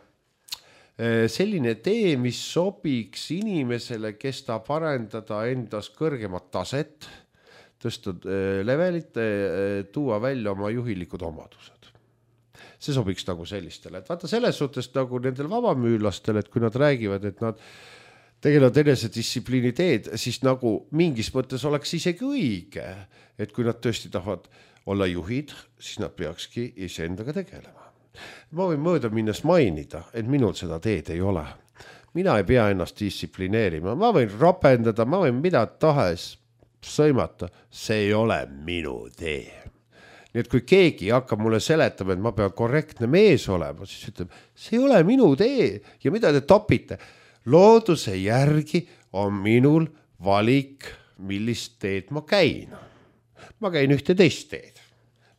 tee, mis sobiks inimesele, kes ta parendada endas kõrgemat taset, tõsta levelit, tuua välja oma juhilikud omadused. See sobiks nagu sellistele. Et vaata selles suhtes nagu nendel vabamüülastel, et kui nad räägivad, et nad tegelevad enesedistsipliini teed, siis nagu mingis mõttes oleks isegi õige, et kui nad tõesti tahavad olla juhid, siis nad peakski iseendaga tegelema. Ma võin mööda minnes mainida, et minul seda teed ei ole. Mina ei pea ennast distsiplineerima, ma võin rapendada, ma võin mida tahes sõimata, see ei ole minu tee. Nii et kui keegi hakkab mulle seletama, et ma pean korrektne mees olema, siis ütleb, see ei ole minu tee ja mida te topite? Looduse järgi on minul valik, millist teed ma käin. Ma käin ühte teist teed.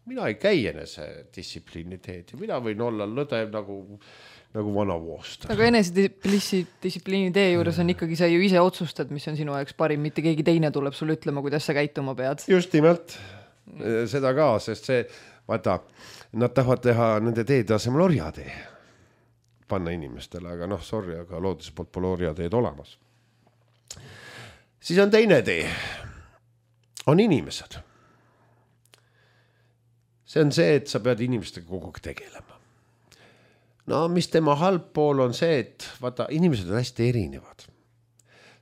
Mina ei käi enese distsipliini teed ja mina võin olla lõdev nagu vana voost. Aga enesedistsipliini tee juures on ikkagi sa ju ise otsustad, mis on sinu jaoks parim, mitte keegi teine tuleb sulle ütlema, kuidas sa käituma pead. Just nimelt, seda ka, sest see, vaata, nad tahavad teha nende teede asemel orjatee. Panna inimestele, aga sorry, aga looduse poolt pole orjateed olemas. Siis on teine tee. On inimesed. See on see, et sa pead inimestega kogu aeg tegelema. Mis tema halb pool on see, et vaata, inimesed on hästi erinevad.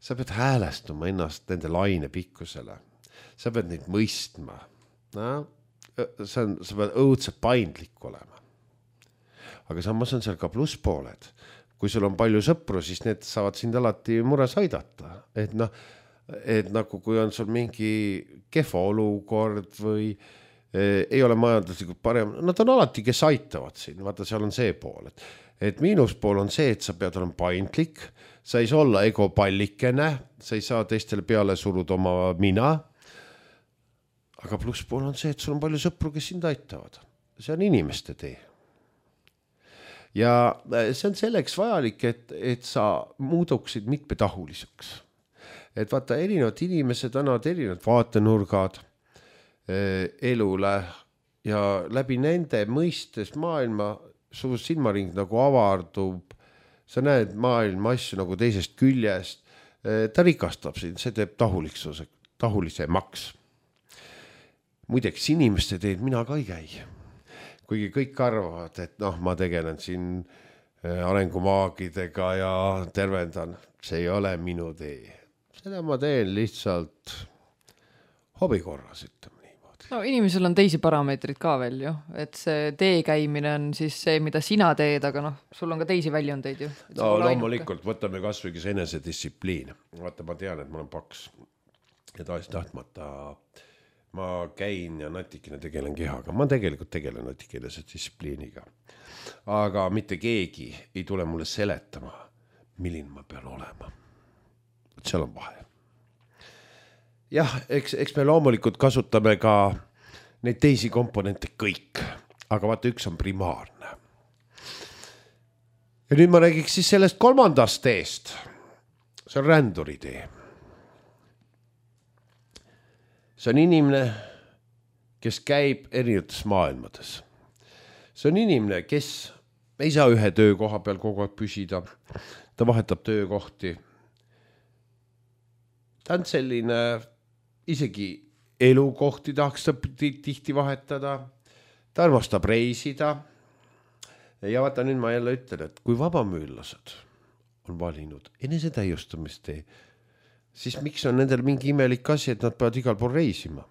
Sa pead häälestuma ennast nende laine pikkusele. Sa pead neid mõistma. Sa pead õudselt paindlik olema. Aga samas on seal ka plusspooled. Kui sul on palju sõpru, siis need saavad sind alati mures aidata. Et nagu kui on sul mingi kehva olukord või ei ole majanduslikult parem, nad on alati, kes aitavad siin. Vaata, seal on see pool. et miinuspool on see, et sa pead olema paindlik, sa ei saa olla egopallikene, sa ei saa teistele peale suruda oma mina. Aga plusspool on see, et sul on palju sõpru, kes sind aitavad. See on inimeste tee. Ja see on selleks vajalik, et sa muuduksid mitmetahuliseks. Et vaata, erinevad inimesed annavad erinevad vaatenurgad elule ja läbi nende mõistes maailma su silmaring nagu avardub, sa näed maailma asju nagu teisest küljest, ta rikastab sind, see teeb tahulisemaks. Muideks inimeste teed mina ka ei käi. Kuigi kõik arvavad, et ma tegelen siin arengumaagidega ja tervendan, see ei ole minu tee. Seda ma teen lihtsalt hobi korras, ütleme niimoodi. No inimesel on teisi parameetrid ka veel ju, et see tee käimine on siis see, mida sina teed, aga sul on ka teisi väljundeid ju. No loomulikult, võtame kasvõi enesedistsipliin. Vaata, ma tean, et ma olen paks ja tahtmata ma käin ja natikene tegelen kehaga. Ma tegelikult tegelen natikene distsipliiniga. Aga mitte keegi ei tule mulle seletama, milline ma pean olema. Seal on vahe. Jah, eks me loomulikult kasutame ka neid teisi komponente kõik. Aga vaata, üks on primaarne. Ja nüüd ma räägiks siis sellest kolmandast teest. See on ränduri tee. See on inimene, kes käib erinevates maailmades. See on inimene, kes ei saa ühe töökoha peal kogu aeg püsida. Ta vahetab töökohti. Ta on selline, isegi elukohti tahaks ta tihti vahetada. Ta armastab reisida. Ja vaata, nüüd ma jälle ütlen, et kui vabamüüllased on valinud enesetäiustamistee, siis miks on nendel mingi imelik asi, et nad peavad igal pool reisima?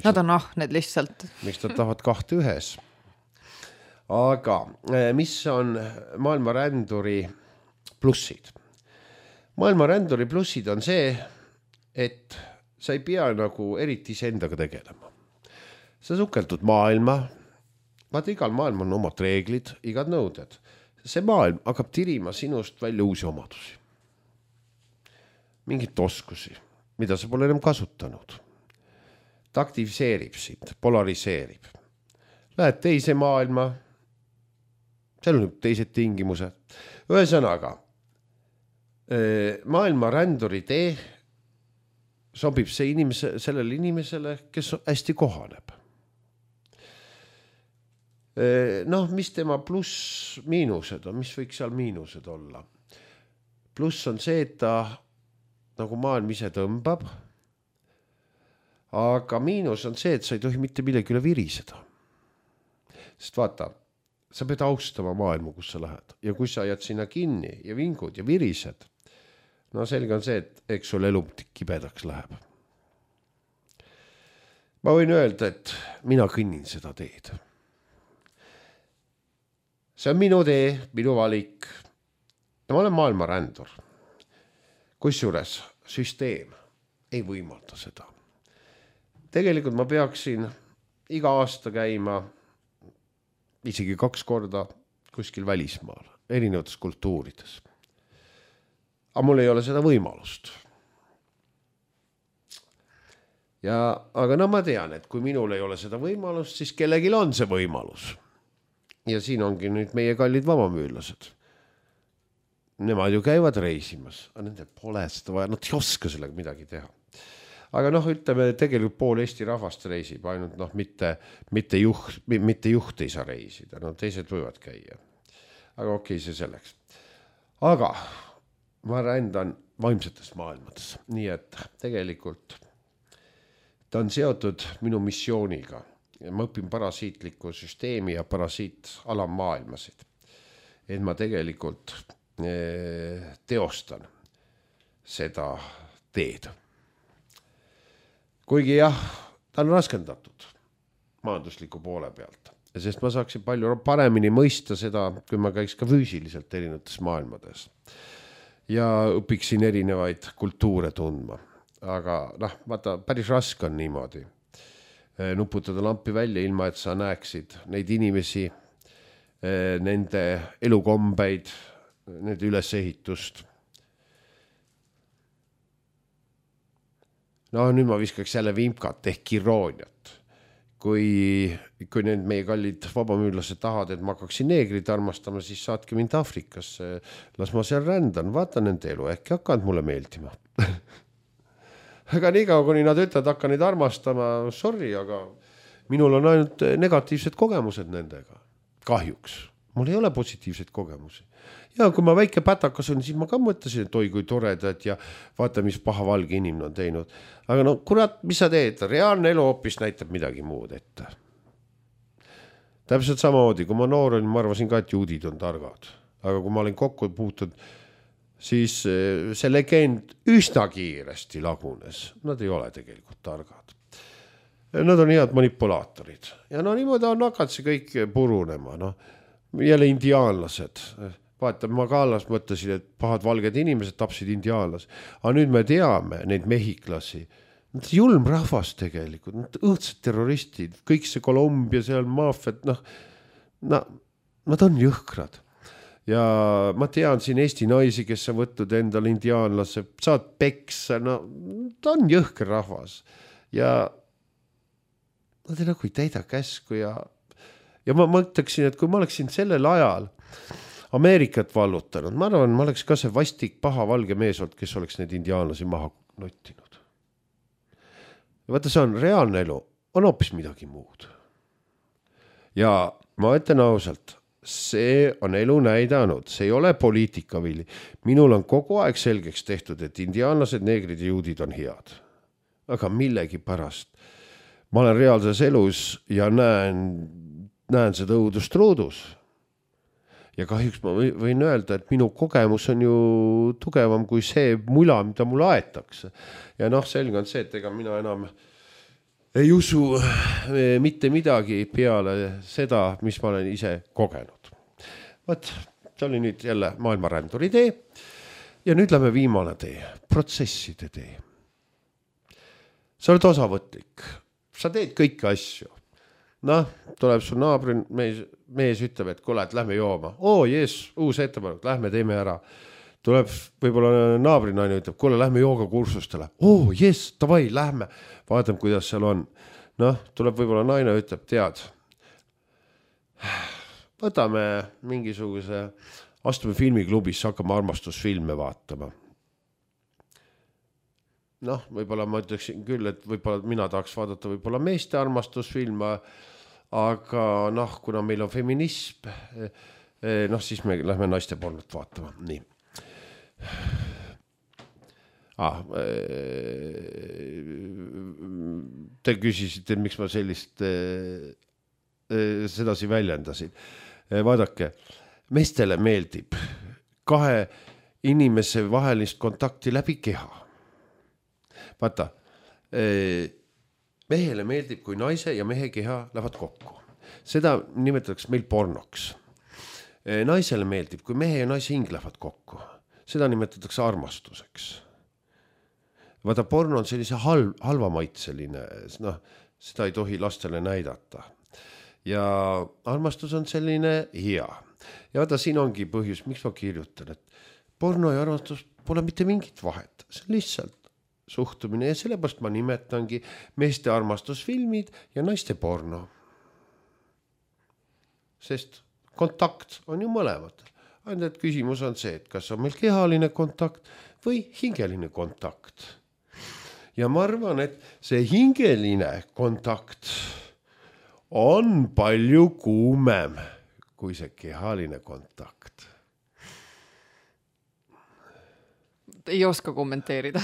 Nad on ahned lihtsalt. Miks nad tahavad kahte ühes? Aga mis on maailma ränduri plussid? Maailma ränduri plussid on see, et sa ei pea nagu eriti iseendaga tegelema. Sa sukeldud maailma, vaata, igal maailm on omad reeglid, igad nõuded. See maailm hakkab tirima sinust välja uusi omadusi. Mingit oskusi, mida sa pole enam kasutanud. Ta aktiviseerib sind, polariseerib. Lähed teise maailma, seal on teised tingimused. Ühesõnaga, maailma ränduri tee sobib sellele inimesele, kes hästi kohaneb. Mis tema pluss miinused on, mis võiks seal miinused olla? Pluss on see, et ta nagu maailm ise tõmbab, aga miinus on see, et sa ei tohi mitte millegi üle viriseda. Sest vaata, sa pead austama maailma, kus sa lähed. Ja kui sa jääd sinna kinni ja vingud ja virised, selge on see, et eks sul elu kibedaks läheb. Ma võin öelda, et mina kõnnin seda teed. See on minu tee, minu valik. Ja ma olen maailma rändur. Kusjuures süsteem ei võimalda seda. Tegelikult ma peaksin iga aasta käima isegi 2 korda kuskil välismaal, erinevates kultuurides. Aga mul ei ole seda võimalust. Aga ma tean, et kui minul ei ole seda võimalust, siis kellegil on see võimalus. Ja siin ongi nüüd meie kallid vabamüüllased. Nemad ju käivad reisimas, aga nendel pole seda vaja, nad ei oska sellega midagi teha. Aga ütleme, tegelikult pool Eesti rahvast reisib, ainult mitte juht ei saa reisida, teised võivad käia. Aga okei, see selleks. Aga ma rändan vaimsetes maailmades, nii et tegelikult ta on seotud minu missiooniga. Ma õpin parasiitliku süsteemi ja parasiit-alammaailmasid. Et ma tegelikult teostan seda teed. Kuigi jah, ta on raskendatud majandusliku poole pealt, sest ma saaksin palju paremini mõista seda, kui ma käiks ka füüsiliselt erinevates maailmades ja õpiksin erinevaid kultuure tundma. Aga vaata, päris raske on niimoodi nuputada lampi välja ilma, et sa näeksid neid inimesi, nende elukombeid, nende ülesehitust. No nüüd ma viskaks jälle vimkat ehk irooniat. Kui need meie kallid vabamüürlased tahavad, et ma hakkaksin neegrid armastama, siis saatke mind Afrikasse, las ma seal rändan, vaatan nende elu, äkki hakkavad mulle meeldima. Aga nii kaua, kuni nad ütlevad, hakka neid armastama, sorry, aga minul on ainult negatiivsed kogemused nendega. Kahjuks. Mul ei ole positiivseid kogemusi. Ja kui ma väike pätakas on, siis ma ka mõtlesin, et oi kui toredad ja vaata, mis paha valge inimene on teinud. Aga no kurat, mis sa teed? Reaalne elu hoopis näitab midagi muud ette. Täpselt samamoodi, kui ma noor olin, ma arvasin ka, et juudid on targad. Aga kui ma olin kokku puutud, siis see legend üsna kiiresti lagunes. Nad ei ole tegelikult targad. Nad on head manipulaatorid. Ja no niimoodi on hakanud see kõik purunema. No, jälle indiaanlased. Vaata, ma ka alles mõtlesin, et pahad valged inimesed tapsid indiaanlas. Aga nüüd me teame neid mehiklasi. Nad julm rahvas tegelikult, nad õõdsed terroristid, kõik see Kolumbia, seal maafiat, nad on jõhkrad. Ja ma tean siin Eesti naisi, kes on võtnud endal indiaanlase, saad peksa, no ta on jõhker rahvas. Ja nad ei nagu ei täida käsku ja ma mõtleksin, et kui ma oleksin sellel ajal Ameerikat vallutanud, ma arvan, ma oleks ka see vastik paha valge mees olnud, kes oleks neid indiaanlasi maha nottinud. Ja vaata, see on reaalne elu, on hoopis midagi muud. Ja ma ütlen ausalt, see on elu näidanud, see ei ole poliitikavili. Minul on kogu aeg selgeks tehtud, et indiaanlased, neegrid ja juudid on head. Aga millegi pärast. Ma olen reaalses elus ja näen seda õudust ruudus. Ja kahjuks ma võin öelda, et minu kogemus on ju tugevam kui see mula, mida mulle aetakse. Ja selge on see, et ega mina enam ei usu mitte midagi peale seda, mis ma olen ise kogenud. Võt, see oli nüüd jälle maailmaränduri tee. Ja nüüd lähme viimane tee, protsesside tee. Sa oled osavõtlik. Sa teed kõiki asju. Tuleb su naabri mees ütleb, et kuule, et lähme jooma. Uus ettepanek, lähme teeme ära. Tuleb võib-olla naabrinaine ütleb, kuule, lähme joogakursustele. Davai, lähme. Vaatame, kuidas seal on. Tuleb võib-olla naine ütleb, tead. Võtame mingisuguse, astume filmiklubis, hakkame armastusfilme vaatama. Võib-olla ma ütleksin küll, et võib-olla mina tahaks vaadata võib-olla meeste armastusfilme, aga kuna meil on feminism, siis me lähme naiste pornot vaatama. Nii. Te küsisite, miks ma sellist sedasi väljendasin. Vaadake, meestele meeldib kahe inimese vahelist kontakti läbi keha. Vaata, mehele meeldib, kui naise ja mehe keha lähevad kokku. Seda nimetatakse meil pornoks. Naisele meeldib, kui mehe ja naise hing lähevad kokku. Seda nimetatakse armastuseks. Vaata, porno on sellise halvamaitseline, seda ei tohi lastele näidata. Ja armastus on selline hea. Ja vaata, siin ongi põhjus, miks ma kirjutan, et porno ja armastus pole mitte mingit vahet. See on lihtsalt suhtumine ja sellepärast ma nimetangi meeste armastusfilmid ja naiste porno. Sest kontakt on ju mõlemad. Ainult küsimus on see, et kas on meil kehaline kontakt või hingeline kontakt. Ja ma arvan, et see hingeline kontakt on palju kuumem kui see kehaline kontakt. Ei oska kommenteerida.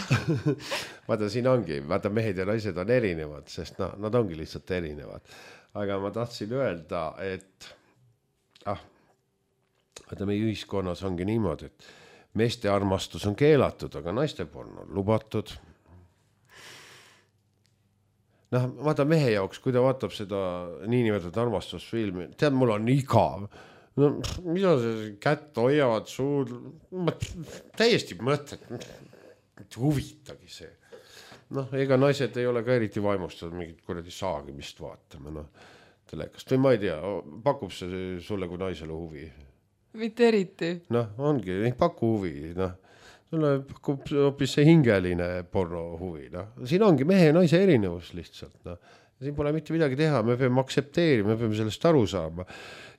Vaata, siin ongi, vaata, mehed ja naised on erinevad, sest nad ongi lihtsalt erinevad. Aga ma tahtsin öelda, et vaata, meie ühiskonnas ongi niimoodi, et meeste armastus on keelatud, aga naiste porno on lubatud. Vaata, mehe jaoks, kui ta vaatab seda niinimetatud armastusfilmi, tead, mul on igav. Mida see kätt hoiavad suud? Ma täiesti mõtlen, et huvitagi see. Ega naised ei ole ka eriti vaimustatud mingit kuradi saagimist vaatama. telekast või ma ei tea, pakub see sulle kui naisele huvi? Mitte eriti. Noh, ongi, ei paku huvi, noh. Sulle pakub hoopis see hingeline porno huvi, noh. Siin ongi mehe ja naise erinevus lihtsalt, noh. Siin pole mitte midagi teha, me peame aktsepteerima, me peame sellest aru saama.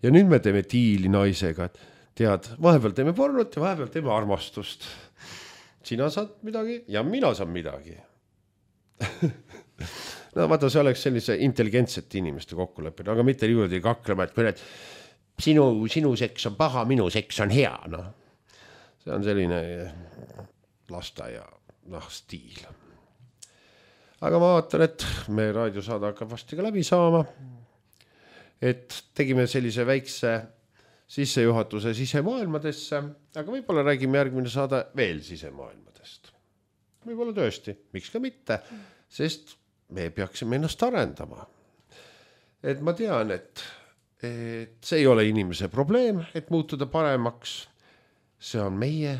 Ja nüüd me teeme diili naisega, et tead, vahepeal teeme pornot ja vahepeal teeme armastust. Sina saad midagi ja mina saan midagi. No vaata, see oleks sellise intelligentsete inimeste kokkuleppida, aga mitte niimoodi kaklema, et kui need sinu seks on paha, minu seks on hea, noh. See on selline lasteaia stiil. Aga ma vaatan, et meie raadiosaade hakkab vasti ka läbi saama. Et tegime sellise väikse sissejuhatuse sisemaailmadesse, aga võib-olla räägime järgmine saade veel sisemaailmadest. Võib-olla tõesti, miks ka mitte, sest me peaksime ennast arendama. Et ma tean, et see ei ole inimese probleem, et muutuda paremaks. See on meie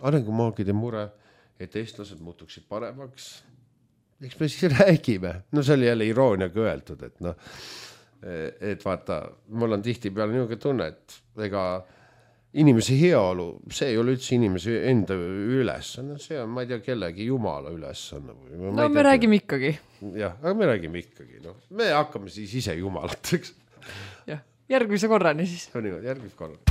arengumaagide mure, et eestlased muutuksid paremaks. Eks me siis räägime. No see oli jälle irooniaga öeldud, et vaata, mul on tihti peale niisugune tunne, et ega inimese heaolu, see ei ole üldse inimese enda ülesanne, see on, ma ei tea, kellegi jumala ülesanne. No me räägime ikkagi. Jah, aga me räägime ikkagi. No. Me hakkame siis ise jumalateks. Jah, järgmise korrani siis. Järgmise korrani.